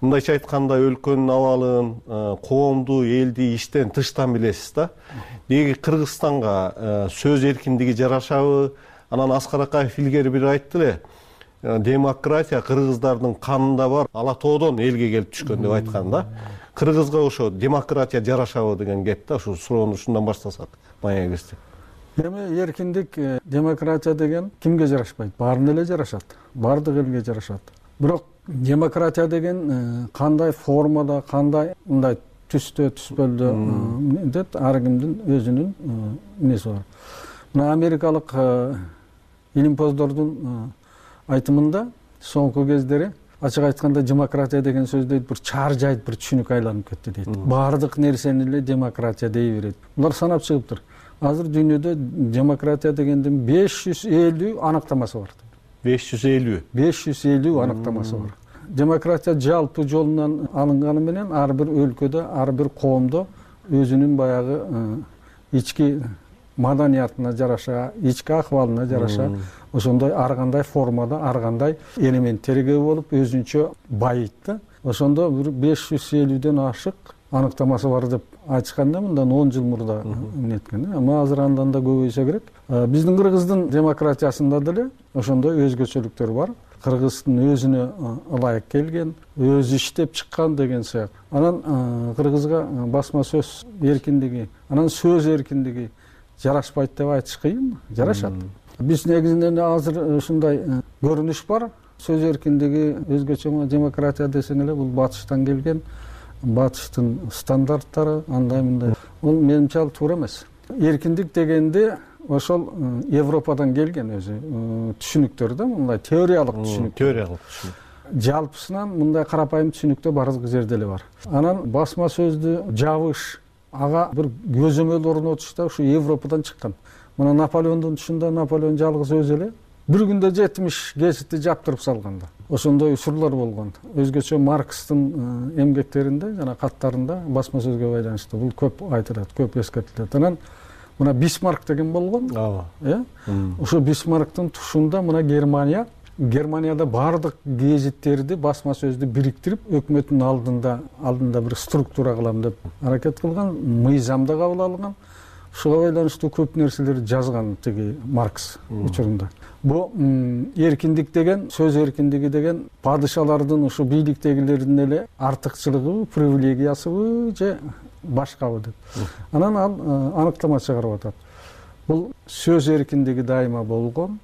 Мындайча айтканда өлкөнүн абалын, коомду, элди иштен тыштан билесиз да. Деги Кыргызстанга сөз эркиндиги жарашабы? Анан Аскар Акаев илгери бир айтты эле. Демократия кыргыздардын канында бар, ала тоодон элге келип түшкөн деп айткан да. Кыргызга ошо демократия жарашабы деген кеп да, ушу суроону ушундан баштасак маегибизди. Эми эркиндик, демократия деген кимге жарашпайт? Баарына эле жарашат. Бардык элге жарашат. Бирок демократия деген кандай формада, кандай мындай түстө, түспөлдө деп ар кимдин өзүнүн неси бар. Мына америкалык илимпоздордун айтымында соңку кездери ачык айтканда демократия деген сөз дейт бир чаар жайт, бир түшүнүк айланып кетти дейт. Баардык нерсени эле демократия дей берет. Булар санап чыгыптыр. азыр дүйнөдө демократия дегендин 550 аныктамасы бар. 550 аныктамасы бар. Демократия жалпы жолунан алынганы менен ар бир өлкөдө, ар бир коомдо өзүнүн баягы ички маданиятына жараша, ички акыбалына жараша ошондой ар кандай формада, ар кандай элементтерге болуп өзүнчө байыйт да. Ошондо бир 550ден ашык аныктамасы бар деп айтышканда мындан 10 жыл мурда эмнеткен. Ама азыр андан да көбөйсө керек. Биздин Кыргыздын демократиясында деле ошондой өзгөчөлүктөр бар. Кыргыздын өзүнө ылайык келген, өзү иштеп чыккан деген сыяк. Анан Кыргызга басма сөз эркиндиги, анан сөз эркиндиги жарашпайт деп айтыш кыйын, жарашат. Биз негизинен азыр ушундай көрүнүш бар. Сөз эркиндиги өзгөчө демократия десең эле бул батыштан келген, батыштын стандарттары андай мындай. Бул менимче ал туура эмес. Эркиндик дегенде ошол Европадан келген өзү түшүнүктөр да, мындай теориялык түшүнүк. Жалпысынан мындай карапайым түшүнүктө бардык жерде эле бар. Анан басма сөздү жабыш, ага бир көзөмөл орнотуш да ушу Европадан чыккан. Мына Наполеондун тушунда Наполеон жалгыз өзү эле бир күндө 70 гезитти жаптырып салган да. Ошондой учурлар болгон. Өзгөчө Маркстын эмгектеринде жана каттарында басма сөзгө байланыштуу бул көп айтылат, көп эскертилет. Анан мына Бисмарк деген болгон. Ошо Бисмарктын тушунда мына Германияда бардык гезиттерди басма сөздү бириктирип өкмөттүн алдында бир структура кылам деп аракет кылган, мыйзамда кабыл алган. Ушуга байланыштуу көп нерселерди жазган тиги Маркс учурунда. Бу эркиндик деген, сөз эркиндиги деген падышалардын ушу бийликтегилердин эле артыкчылыгыбы, привилегиясыбы же башкабы деп. Анан ал аныктама чыгарып атат. Бул сөз эркиндиги дайыма болгон,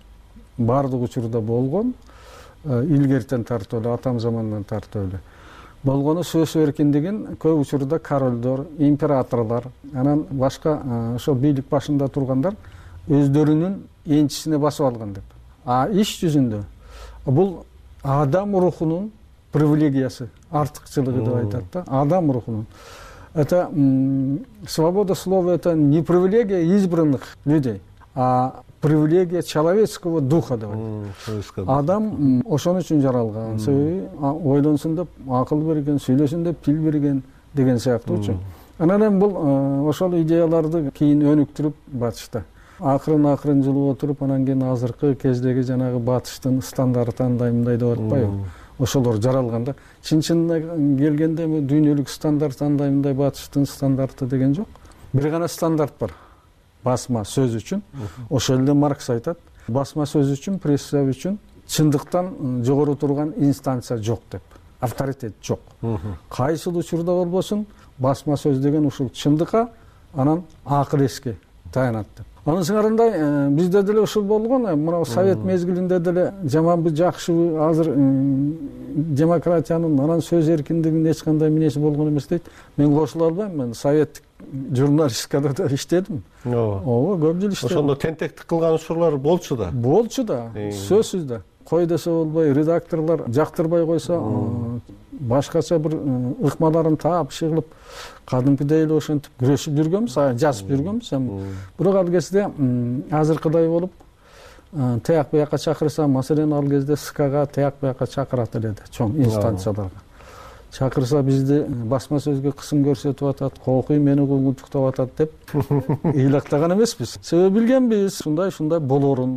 бардык учурда болгон, илгертен тартып эле, атам замандан тартып эле. Болгону сөз эркиндигин көп учурда королдор, императорлор, анан башка ошо бийлик башында тургандар өздөрүнүн энчисине басып алган деп. Иш жүзүндө бул адам рухунун привилегиясы, артыкчылыгы деп айтат да, адам рухунун. Это свобода слова, это не привилегия избранных людей, а привилегия человеческого духа деп айтат. Адам ошон үчүн жаралган, себеби ойлонсун деп акыл берген, сүйлөсүн деп тил берген деген сыяктуучу. Анан бул ошол идеяларды кийин өнүктүрүп батышта. Акырын жылып отуруп, анан кийин азыркы кездеги жанагы батыштын стандарты андай мындай деп атпайбы? Ошолор жаралганда, чын-чынына келгенде дүйнөлүк стандарт андай мындай батыштын стандарты деген жок. Бир гана стандарт бар. Басма сөз үчүн. Ошол эле Маркс айтат. Басма сөз үчүн, пресса үчүн чындыктан жогору турган инстанция жок деп. Авторитет жок. Кайсыл учурда болбосун, басма сөз деген ушул чындыкка, анан акыл эске таянат деп. Анын сыңарындай бизде деле ушул болгон, мына совет мезгилинде деле жаманбы жакшыбы азыр демократиянын, анан сөз эркиндигинин эч кандай минеси болгон эмес дейт. Мен кошула албайм, мен советтик журналистикада да иштедим. Ооба, көп жыл иштедим. Ошондо тентектик кылган учурлар болчу да. Болчу да, сөзсүз да. Кой десе болбой, редакторлор жактырбай койсо, башкача бир ыкмаларын таап чыгылып, кадимкидей эле ошентип күрөшүп жүргөнбүз, жазып жүргөнбүз. Бирок ал кезде азыркыдай болуп, тияк буякка чакырса, маселен ал кезде СКга тияк буякка чакырат эле чоң инстанцияларга. Чакырса бизди басма сөзгө кысым көрсөтүп атат, кокуй мени кулгунчуктап атат деп ыйлактаган эмеспиз. Себеби билгенбиз, ушундай болорун,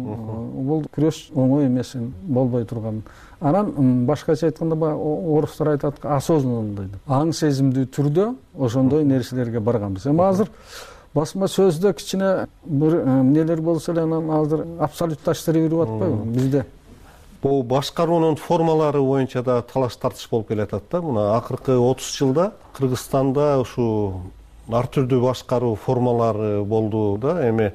бул күрөш оңой эмесин, болбой турганын. Анан башкача айтканда орустар айтат, осознанный деп. Аң сезимдүү түрдө ошондой нерселерге барганбыз. Эми азыр басма сөздө кичине бир эмнелер болсо эле анан азыр абсолютташтырып атпайбы бизде? Бул башкаруунун формалары боюнча да талаш тартыш болуп келатат да. Мына акыркы 30 жылда Кыргызстанда ушу ар түрдүү башкаруу формалары болду да. Эми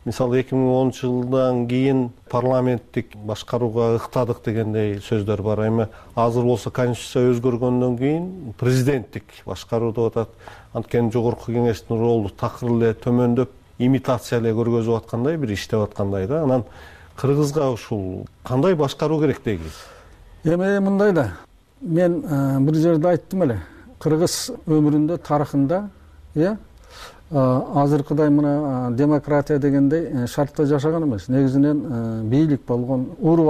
мисалы 2010 жылдан кийин парламенттик башкарууга ыктадык дегендей сөздөр бар. Эми азыр болсо конституция өзгөргөндөн кийин президенттик башкаруу деп атат. Анткени жогорку кеңештин ролу такыр эле төмөндөп, имитация эле көргөзүп аткандай, бир иштеп аткандай да. Анан Кыргызга ушул кандай башкаруу керек дейбиз? Эми мындай да. Мен бир жерде айттым эле. Кыргыз өмүрүндө, тарыхында, азыркыдай мына демократия дегендей шартта жашаган эмес. Негизинен бийлик болгон, уру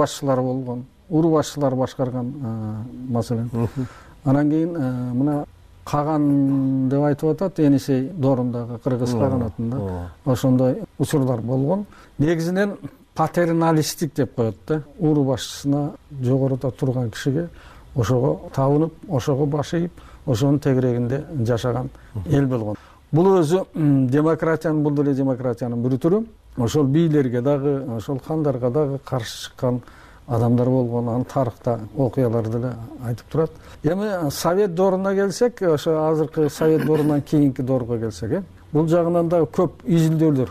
башчылар башкарган маселен. Анан кийин мына Каган деп айтып атат, Енисей Доорундагы кыргыз каганатында ошондой учурлар болгон. Негизинен патерналисттик деп коет да. Уру башчысына жогоруда турган кишиге ошого табынып, ошого баш ийип, ошонун тегерегинде жашаган эл болгон. Бул өзү демократиянын, бул деле демократиянын бир түрү. Ошол бийлерге дагы, ошол хандарга дагы каршы чыккан адамдар болгон, анын тарыхта окуялар деле айтып турат. Эми Совет дооруна келсек, ошо азыркы Совет доорунан кийинки доорго келсек, бул жагынан да көп изилдөөлөр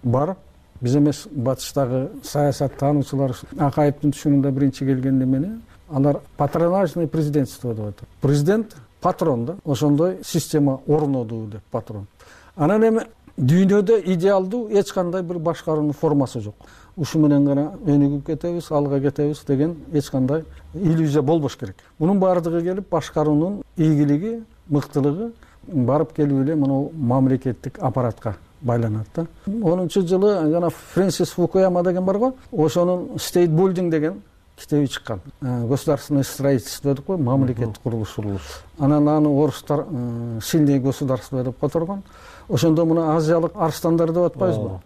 бар. Биз эмес, батыштагы саясат таануучулар Акаевдин түшүнүндө биринчи келген эмени алар патронажный президентство деп атат. Президент патрон да, ошондой система орноду деп патрон. Анан эми дүйнөдө идеалдуу эч кандай бир башкаруунун формасы жок. Ушу менен гана өнүгүп кетебиз, алга кетебиз деген эч кандай иллюзия болбош керек. Мунун баардыгы келип башкаруунун ийгилиги, мыктылыгы барып келип эле мына мамлекеттик аппаратка байланат да. 10-жылы жана Фрэнсис Фукуяма деген бар го, ошонун State Building деген китеби чыккан. Государственное строительство деп кой, мамлекеттик курулуш. Анан аны орустар сильное государство деп которгон. Ошондо мына азиялык арстандарды деп атпайбызбы?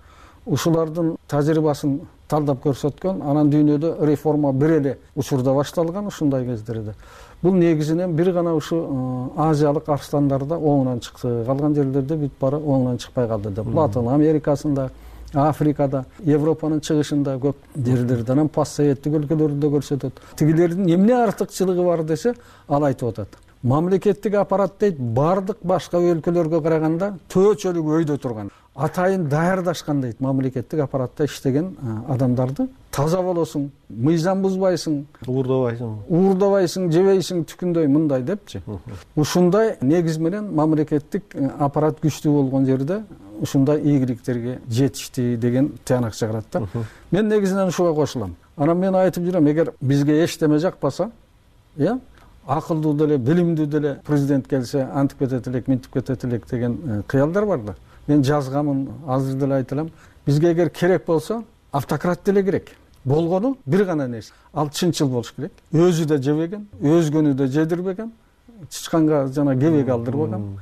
Ушулардын тажрыйбасын талдап көрсөткөн, анан дүйнөдө реформа бир эле учурда башталган ушундай кездерде. Бул негизинен бир гана ушу азиялык арстандарда оңунан чыкты. Калган жерлерде бүт бары оңунан чыкпай калды деп. Латын Америкасында, Африкада, Европанын чыгышында көп жерлерде, анан постсоветтик өлкөлөрдө көрсөтөт. Тигилердин эмне артыкчылыгы бар десе, ал айтып атат. Мамлекеттик аппарат дейт, бардык башка өлкөлөргө караганда төчөлүк өйдө турган. Атайын даярдашкан дейт мамлекеттик аппаратта иштеген адамдарды. Таза болосуң, мыйзам бузбайсың, уурдабайсың, жебейсиң, түкүндөй мындай депчи. Ушундай негиз менен мамлекеттик аппарат күчтүү болгон жерде ушундай ийгиликтерге жетишти деген тыянак чыгарат да. Мен негизинен ушуга кошулам. Анан мен айтып жүрөм, эгер бизге эчтеме жакпаса, акылдуу деле, билимдүү деле президент келсе, антип кетет элек, минтип кетет элек деген кыялдар бар да. Мен жазгамын, азыр деле айтылам. Бизге эгер керек болсо, автократ деле керек. Болгону бир гана нерсе. Ал чынчыл болуш керек. Өзү да жебеген, өзгөнү да жедирбеген, чычканга жана кебек алдырбаган.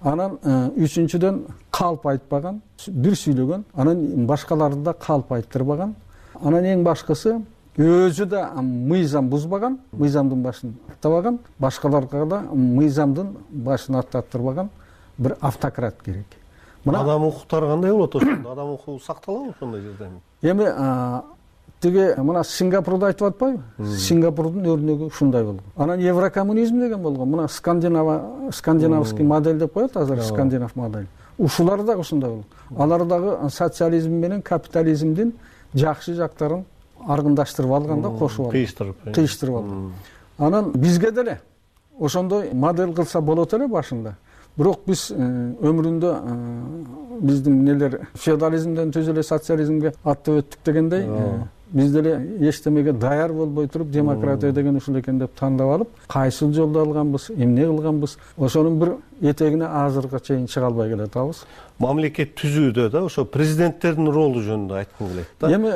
Анан үчүнчүдөн калп айтпаган, бир сүйлөгөн, анан башкаларды да калп айттырбаган. Анан эң башкысы өзү да мыйзам бузбаган, мыйзамдын башын аттабаган, башкаларга да мыйзамдын башын аттаттырбаган бир автократ керек. Адам укуктары кандай болот ошондо? Адам укугу сакталабы ошондой жерде? Эми тиги мына Сингапурду айтып атпайбы? Сингапурдун өрнөгү ушундай болгон. Анан еврокоммунизм деген болгон. Мына скандинавский модель деп коет азыр, скандинав модель. Ушулар да ушундай болгон. Алар дагы социализм менен капитализмдин жакшы жактарын аргындаштырып алган да, кошуп алган. Кыйыштырып алган. Анан бизге деле ошондой модель кылса болот эле башында. Бирок биз өмүрүндө биздин нелер феодализмден түз эле социализмге аттап өттүк дегендей, биз деле эчтемеге даяр болбой туруп демократия деген ушул экен деп тандап алып, кайсыл жолду алганбыз, эмне кылганбыз, ошонун бир этегине азыркыга чейин чыга албай келатабыз. Мамлекет түзүүдө да ошо президенттердин ролу жөнүндө айткым келет да. Эми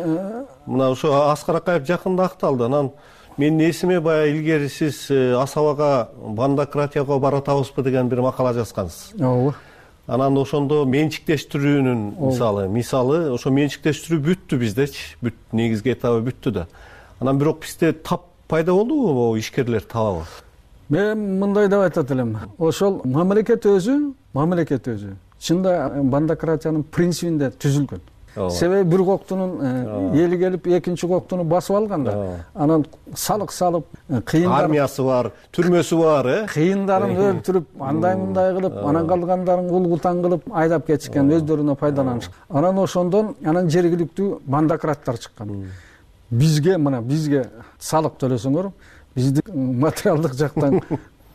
мына ошо Аскар Акаев жакында акталды. Анан мен эсиме баягы илгери сиз Асабага бандократияга баратабызбы деген бир макала жазгансыз. Ооба. Анан ошондо менчиктештирүүнүн мисалы ошо менчиктештирүү бүттү биздечи, бүт негизги этабы бүттү да. Анан бирок бизде тап пайда болдубу могу ишкерлер табабы? Мен мындай деп айтат элем. Ошол мамлекет өзү чында бандократиянын принцибинде түзүлгөн. Себеби бир коктунун эли келип экинчи коктуну басып алганда, анан салык салып, кыйындар армиясы бар, түрмөсү бар, кыйындарын өлтүрүп, андай кылып, анан калгандарын улгутан кылып айдап кетишкен, өздөрүнө пайдаланышкан. Анан ошондон жергиликтүү бандократтар чыккан. Бизге салык төлөсөңөр, бизди материалдык жактан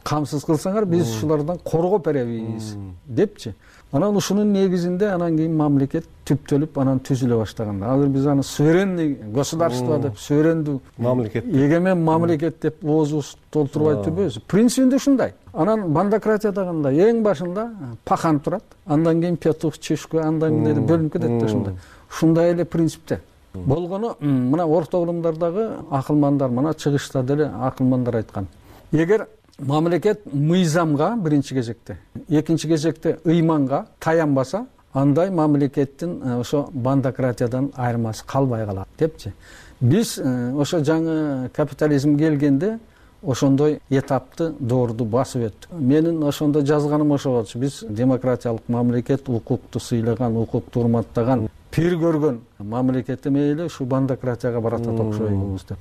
камсыз кылсаңар, биз ушулардан коргоп беребиз депчи. Анан ушунун негизинде анан кийин мамлекет түптөлүп, анан түзүлө баштаган. Азыр биз аны суверенный государство деп, суверендүү мамлекет, эгемен мамлекет деп оозубузду толтурбай турбайбыз. Принцибинде ушундай. Анан бандократия кандай? Эң башында пахан турат, андан кийин петух, чешка, андан кийин бөлүнүп кетет да ушундай. Ушундай эле принципте. Болгону мына орто урумдардагы акылмандар, мына чыгышта деле акылмандар айткан. Эгер мамлекет мыйзамга биринчи кезекте, экинчи кезекте ыйманга таянбаса, андай мамлекеттин ошо бандократиядан айырмасы калбай калат депчи. Биз ошо жаңы капитализм келгенде ошондой этапты доорду басып өттүк. Менин ошондо жазганым ошо болчу. Биз демократиялык мамлекет, укукту сыйлаган, укукту урматтаган, пир көргөн мамлекет эмеле ушу бандократияга баратат окшойбуз деп.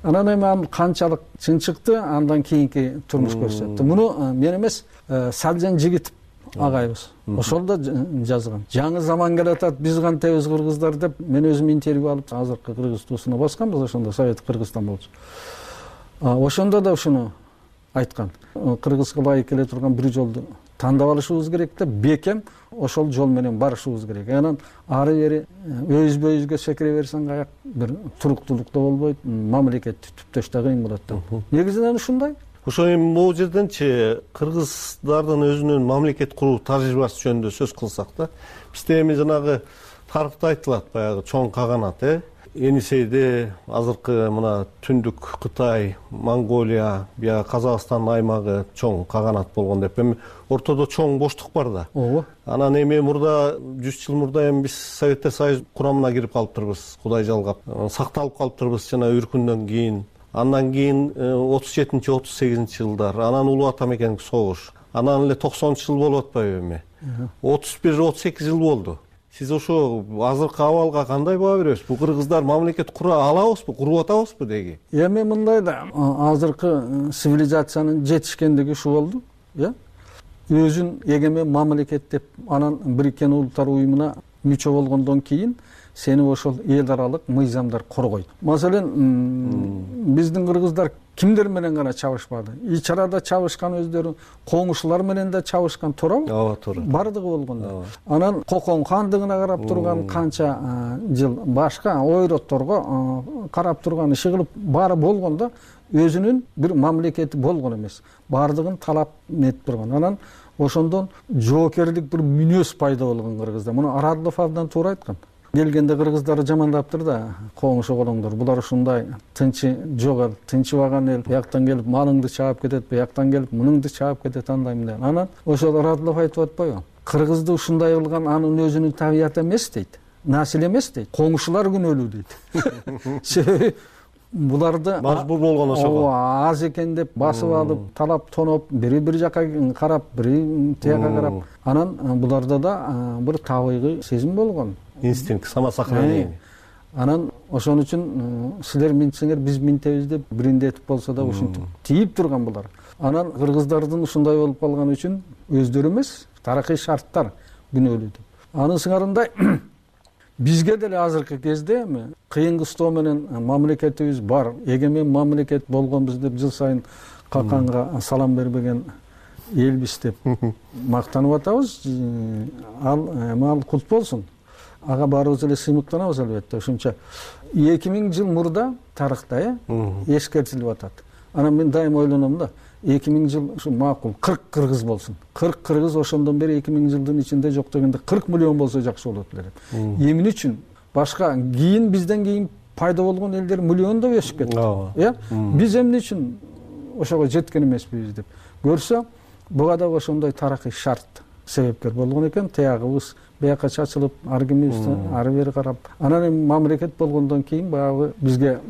Анан эми канчалык чын чыкты, андан кийинки турмуш көрсөттү. Муну мен эмес, Салжан Жигитов агайыбыз ошол да жазган. Жаңы заман келатат, биз кантебиз кыргыздар деп мен өзүм интервью алып, азыркы Кыргыз туусуна басканбыз, ошондо Совет Кыргызстан болчу. Ошондо да ушуну айткан. Кыргызга ылайык келе турган бир жолду тандап алышыбыз керек деп, бекем ошол жол менен барышыбыз керек. Анан ары бери өзбө өзгө секире берсең каяк бир туруктуулук да болбойт, мамлекетти түптөш да кыйын болот да. Негизинен ушундай. Ошо эми могу жерденчи кыргыздардын өзүнүн мамлекет куруу тажрыйбасы жөнүндө сөз кылсак да, бизде эми жанагы тарыхта айтылат, баягы чоң каганат, Енисейде азыркы мына Түндүк Кытай, Монголия, бия Казакстан аймагы чоң каганат болгон деп, эми ортодо чоң боштук бар да. Ооба. Анан эми мурда 100 жыл мурда эми биз Советтер Союз курамына кирип калыптырбыз, Кудай жалгап. Сакталып калыптырбыз жана үркүндөн кийин. Андан кийин 37-38 жылдар, анан Улуу Ата мекендик согуш. Анан эле 90 жыл болуп атпайбы эми? 31-38 жыл болду. Сиз ошо азыркы абалга кандай баа бересиз? Бул кыргыздар мамлекет кура алабызбы, куруп атабызбы деги? Эми мындай да, азыркы цивилизациянын жетишкендиги ушу болду, өзүн эгемен мамлекет деп, анан Бириккен Улуттар уюмуна мүчө болгондон кийин сени ошол эл аралык мыйзамдар коргойт. Маселен, биздин кыргыздар кимдер менен гана чабышпады? Ич арада чабышкан өздөрү, коңушулар менен да чабышкан, туурабы? Ооба, туура. Бардыгы болгондо. Анан Кокон хандыгына карап турган канча жыл, башка ойротторго карап турган, иши кылып баары болгондо өзүнүн бир мамлекети болгон эмес. Бардыгын талап нетип турган. Анан ошондон жоокерлик бир мүнөз пайда болгон кыргызда. Муну Арадлов абдан туура айткан. Келгенде кыргыздарды жамандаптыр да, коңуш оголоңдор, булар ушундай тынчы жок эл, тынчыбаган эл, бияктан келип малыңды чаап кетет, бияктан келип мунуңду чаап кетет, андай мындай. Анан ошол Радлов айтып атпайбы? Кыргызды ушундай кылган анын өзүнүн табияты эмес дейт, насил эмес дейт, коңушулар күнөөлүү дейт. Себеби буларды мажбур болгон ошого. Аз экен деп басып алып, талап тоноп, бири бир жака карап, бири тияка карап, анан буларда да бир табигый сезим болгон. Инстинкт, самосохранение. Анан ошон үчүн силер минтсеңер биз минтебиз деп биринде этип болсо да ушинтип тийип турган булар. Анан кыргыздардын ушундай болуп калган үчүн өздөрү эмес, тарыхый шарттар күнөөлүү деп. Анын сыңарындай бизге деле азыркы кезде эми кыйын кыстоо менен мамлекетибиз бар, эгемен мамлекет болгонбуз деп жыл сайын каканга салам бербеген элбиз деп мактанып атабыз. Ал кут болсун. Ага баарыбыз эле сыймыктанабыз албетте. Ошончо 2000 жыл мурда тарыхта эскертилип атат. Анан мен дайым ойлоном да, 2000 жыл ушу макул 40 кыргыз болсун. 40 кыргыз ошондон бери 2000 жылдын ичинде жок дегенде 40 миллион болсо жакшы болот эле деп. Эмне үчүн башка кийин бизден кийин пайда болгон элдер миллиондоп өсүп кетти. Биз эмне үчүн ошого жеткен эмеспиз деп көрсө, буга да ошондой тарыхый шарт себепкер болгон экен. Таягыбыз бияка чачылып, ар кимибизди ары бери карап, анан эми мамлекет болгондон кийин баягы бизге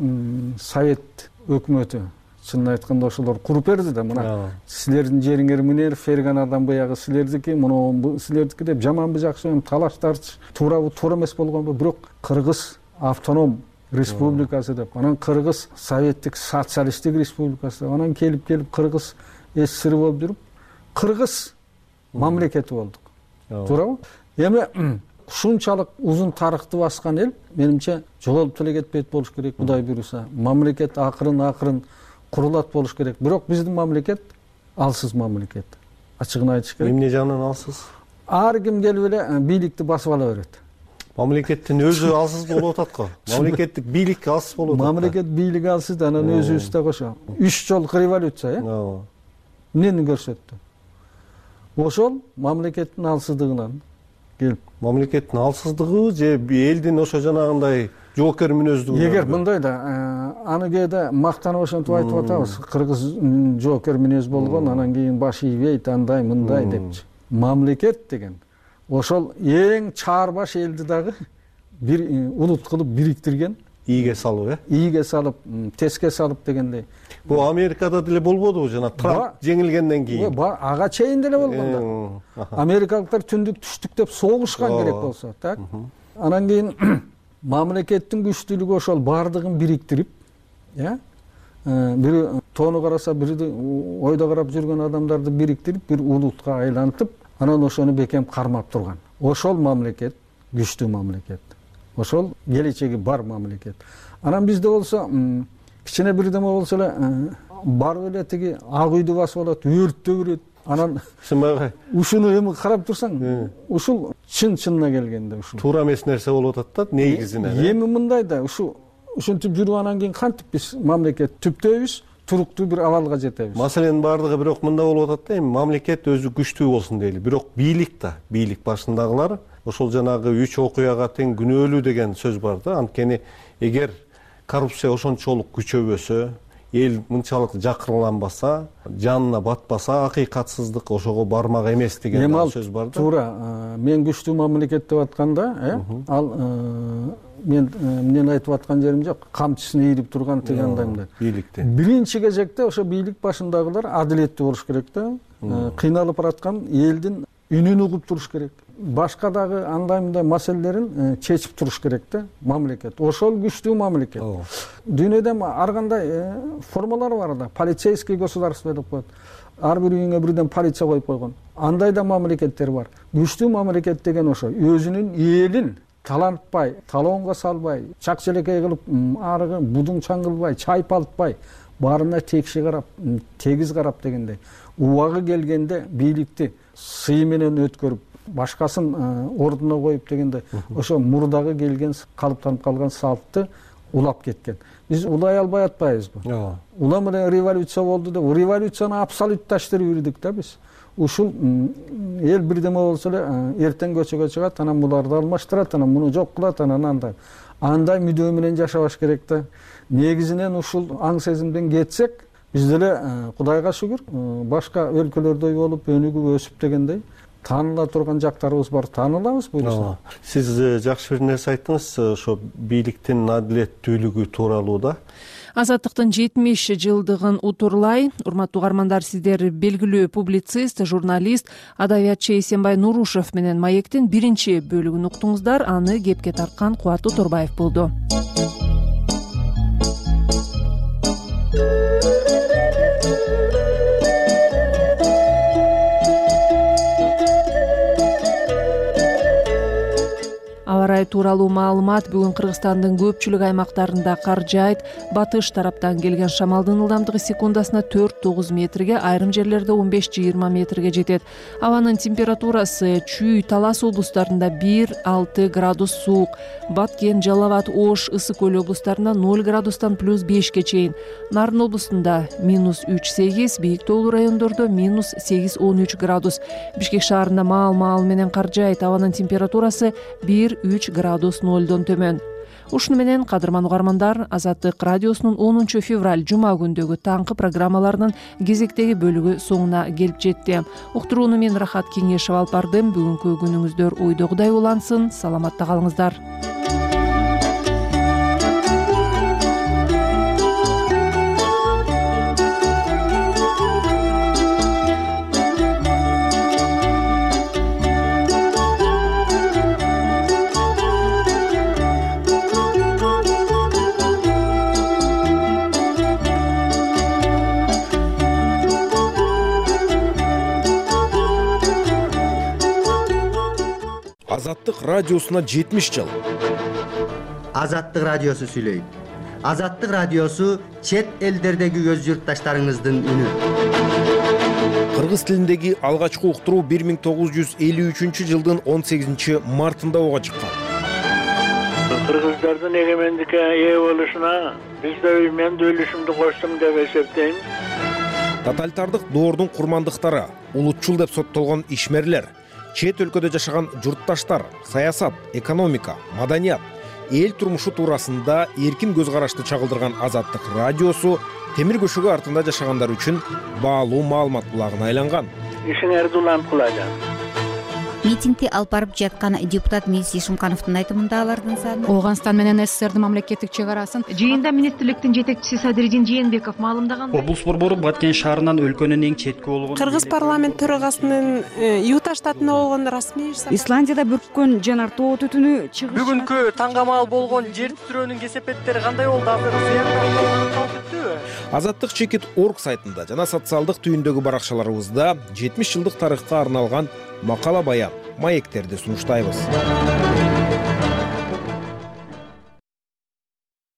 Совет өкмөтү чынын айтканда ошолор куруп берди да, мына силердин жериңер мынер, ферганадан буягы силердики, муну силердики деп жаманбы жакшыбы талаштарчы, туурабы туура эмес болгонбу, бирок Кыргыз автоном республикасы деп, анан Кыргыз советтик социалисттик республикасы деп, анан келип Кыргыз СССР болуп жүрүп, Кыргыз мамлекети болдук. Туурабы? Эми ушунчалык узун тарыхты баскан эл менимче жоголуп деле кетпейт болуш керек, Кудай буйруса. Мамлекет акырын курулат болуш керек. Бирок биздин мамлекет алсыз мамлекет. Ачыгын айтыш керек. Эмне жагынан алсыз? Ар ким келип эле бийликти басып ала берет. Мамлекеттин өзү алсыз болуп атат го. Мамлекеттик бийлик алсыз болуп атат. Мамлекет бийлиги алсыз да, анан өзүбүз да кошо. 3 жолку революция, эмнени көрсөттү? Ошол мамлекеттин алсыздыгынан келип. Мамлекеттин алсыздыгы же элдин ошо жанагындай жоокер мүнөздүгү? Эгер мындай да аны кээде мактанып ошентип айтып атабыз, кыргыз жоокер мүнөз болгон, анан кийин баш ийбейт, андай мындай депчи. Мамлекет деген ошол эң чаарбаш элди дагы бир улут кылып бириктирген, ийге салып, ийге салып, теске салып дегендей. Бул Америкада деле болбодубу жана Трамп жеңилгенден кийин? Ага чейин деле болгон да. Америкалыктар түндүк түштүк деп согушкан керек болсо, так? Анан кийин мамлекеттин күчтүүлүгү ошол баардыгын бириктирип, бири тоону караса, бири ойдо карап жүргөн адамдарды бириктирип, бир улутка айлантып, анан ошону бекем кармап турган. Ошол мамлекет күчтүү мамлекет. Ошол келечеги бар мамлекет. Анан бизде болсо кичине бирдеме болсо эле барып эле тиги ак үйдү басып алат, өрттөп берет. Анан ушуну эми карап турсаң, ушул чын-чынына келгенде ушул туура эмес нерсе болуп атат да, негизинен. Эми мындай да, ушинтип жүрүп анан кийин кантип биз мамлекет түптөйбүз, туруктуу бир абалга жетебиз. Маселенин баардыгы бирок мында болуп атат да, эми мамлекет өзү күчтүү болсун дейли. Бирок бийлик да, бийлик башындагылар ошол жанагы 3 окуяга тең күнөөлүү деген сөз бар да. Анткени эгер коррупция ошончолук күчөбөсө, эл мынчалык жакырланбаса, жанына батпаса, акыйкатсыздык ошого бармак эмес деген сөз бар да. Туура, мен күчтүү мамлекет деп атканда, ал мен эмнени айтып аткан жерим жок, камчысын ийрип турган дегендей мындай. Бийликти. Биринчи кезекте ошо бийлик башындагылар адилеттүү болуш керек да. Кыйналып бараткан элдин үнүн угуп туруш керек. Башка дагы андай мындай маселелерин чечип туруш керек да мамлекет. Ошол күчтүү мамлекет. Дүйнөдө ар кандай формалар бар да. Полицейский государство деп коет. Ар бир үйүңө бирден полиция коюп койгон. Андай да мамлекеттер бар. Күчтүү мамлекет деген ошо өзүнүн элин талантпай, талоонго салбай, чак-челекей кылып, арыгы будуң чаңгылбай, чайпалтпай, баарына текши карап, тегиз карап дегендей. Убагы келгенде бийликти сый менен өткөрүп, башкасын ордуна коюп дегенде, ошо мурдагы келген, калыптанып калган салтты улап кеткен. Биз улай албай атпайбызбы? Улам эле революция болду деп, революцияны абсолютташтырып жүрдүк да биз. Ушул эл бирдеме болсо эле эртең көчөгө чыгат, анан буларды алмаштырат, анан муну жок кылат, анан андай мүдөө менен жашабаш керек да. Негизинен ушул аң сезимден кетсек, биз деле Кудайга шүгүр, башка өлкөлөрдөй болуп, өнүгүп өсүп дегендей тааныла турган жактарыбыз бар, таанылабыз буюрса. Сиз жакшы бир нерсе айттыңыз, ошо бийликтин адилеттүүлүгү тууралуу да. Азаттыктын 70 жылдыгын утурлай, урматтуу угармандар, сиздер белгилүү публицист, журналист, адабиятчы Эсенбай Нурушев менен Маектин биринчи бөлүгүн уктуңуздар. Аны кепке тарткан Кубаттуу Торбаев болду. Аба ырайы тууралуу маалымат бүгүн Кыргызстандын көпчүлүк аймактарында кар жаайт. Батыш тараптан келген шамалдын ылдамдыгы секундасына 4-9 метрге, айрым жерлерде 15-20 метрге жетет. Абанын температурасы Чүй, Талас облустарында 1-6 градус суук, Баткен, Жалал абад, Ош, Ысык көл облустарында 0 градустан +5ке чейин, Нарын облустунда -3-8, бийик тоолуу райондордо -8-13 градус. Бишкек шаарында маал менен кар жаайт. Абанын температурасы 1-3 градус 0дон төмөн. Ушуну менен, кадырман угармандар, Азаттык радиосунун 10 февраль жума күндөгү таңкы программаларынын кезектеги бөлүгү соңуна келип жетти. Уктурууну мен Рахат Кеңешева алып бардым. Бүгүнкү күнүңүздөр ойдогудай улансын. Саламатта калыңыздар. Азаттык радиосуна 70 жыл. Азаттык радиосу сүйлөйт. Азаттык радиосу чет элдердеги көз журтташтарыңыздын үнү. Кыргыз тилиндеги алгачкы уктуруу 1953 жылдын 18 мартында ого чыккан. Кыргыздардын эгемендикке ээ болушуна биз да мен да үлүшүмдү коштум деп эсептейм. Тоталитардык доордун курмандыктары, улутчул деп соттолгон ишмерлер, чет өлкөдө жашаган журтташтар, саясат, экономика, маданият, эл турмушу туурасында эркин көз карашты чагылдырган Азаттык радиосу темир көшөгү артында жашагандар үчүн баалуу маалымат булагына айланган. Ишиңерди уланып кылажам. Митингди алып барып жаткан депутат Миз Ишимкановдун айтымында алардын саны Ооганстан менен СССРдин мамлекеттик чек арасын жыйында министрликтин жетекчиси Садыридин Жээнбеков маалымдаган. Облус борбору Баткен шаарынан өлкөнүн эң четки болгон Кыргыз парламент төрагасынын Юта штатында болгон расмий Исландияда бүрккөн жанар тоо түтүнү чыгыш. Бүгүнкү таңгамал болгон жер титирөөнүн кесепеттери кандай болду? Азаттык.org сайтында жана социалдык түйүндөгү баракчаларыбызда 70 жылдык тарыхка арналган макала баян, маектерди сунуштайбыз.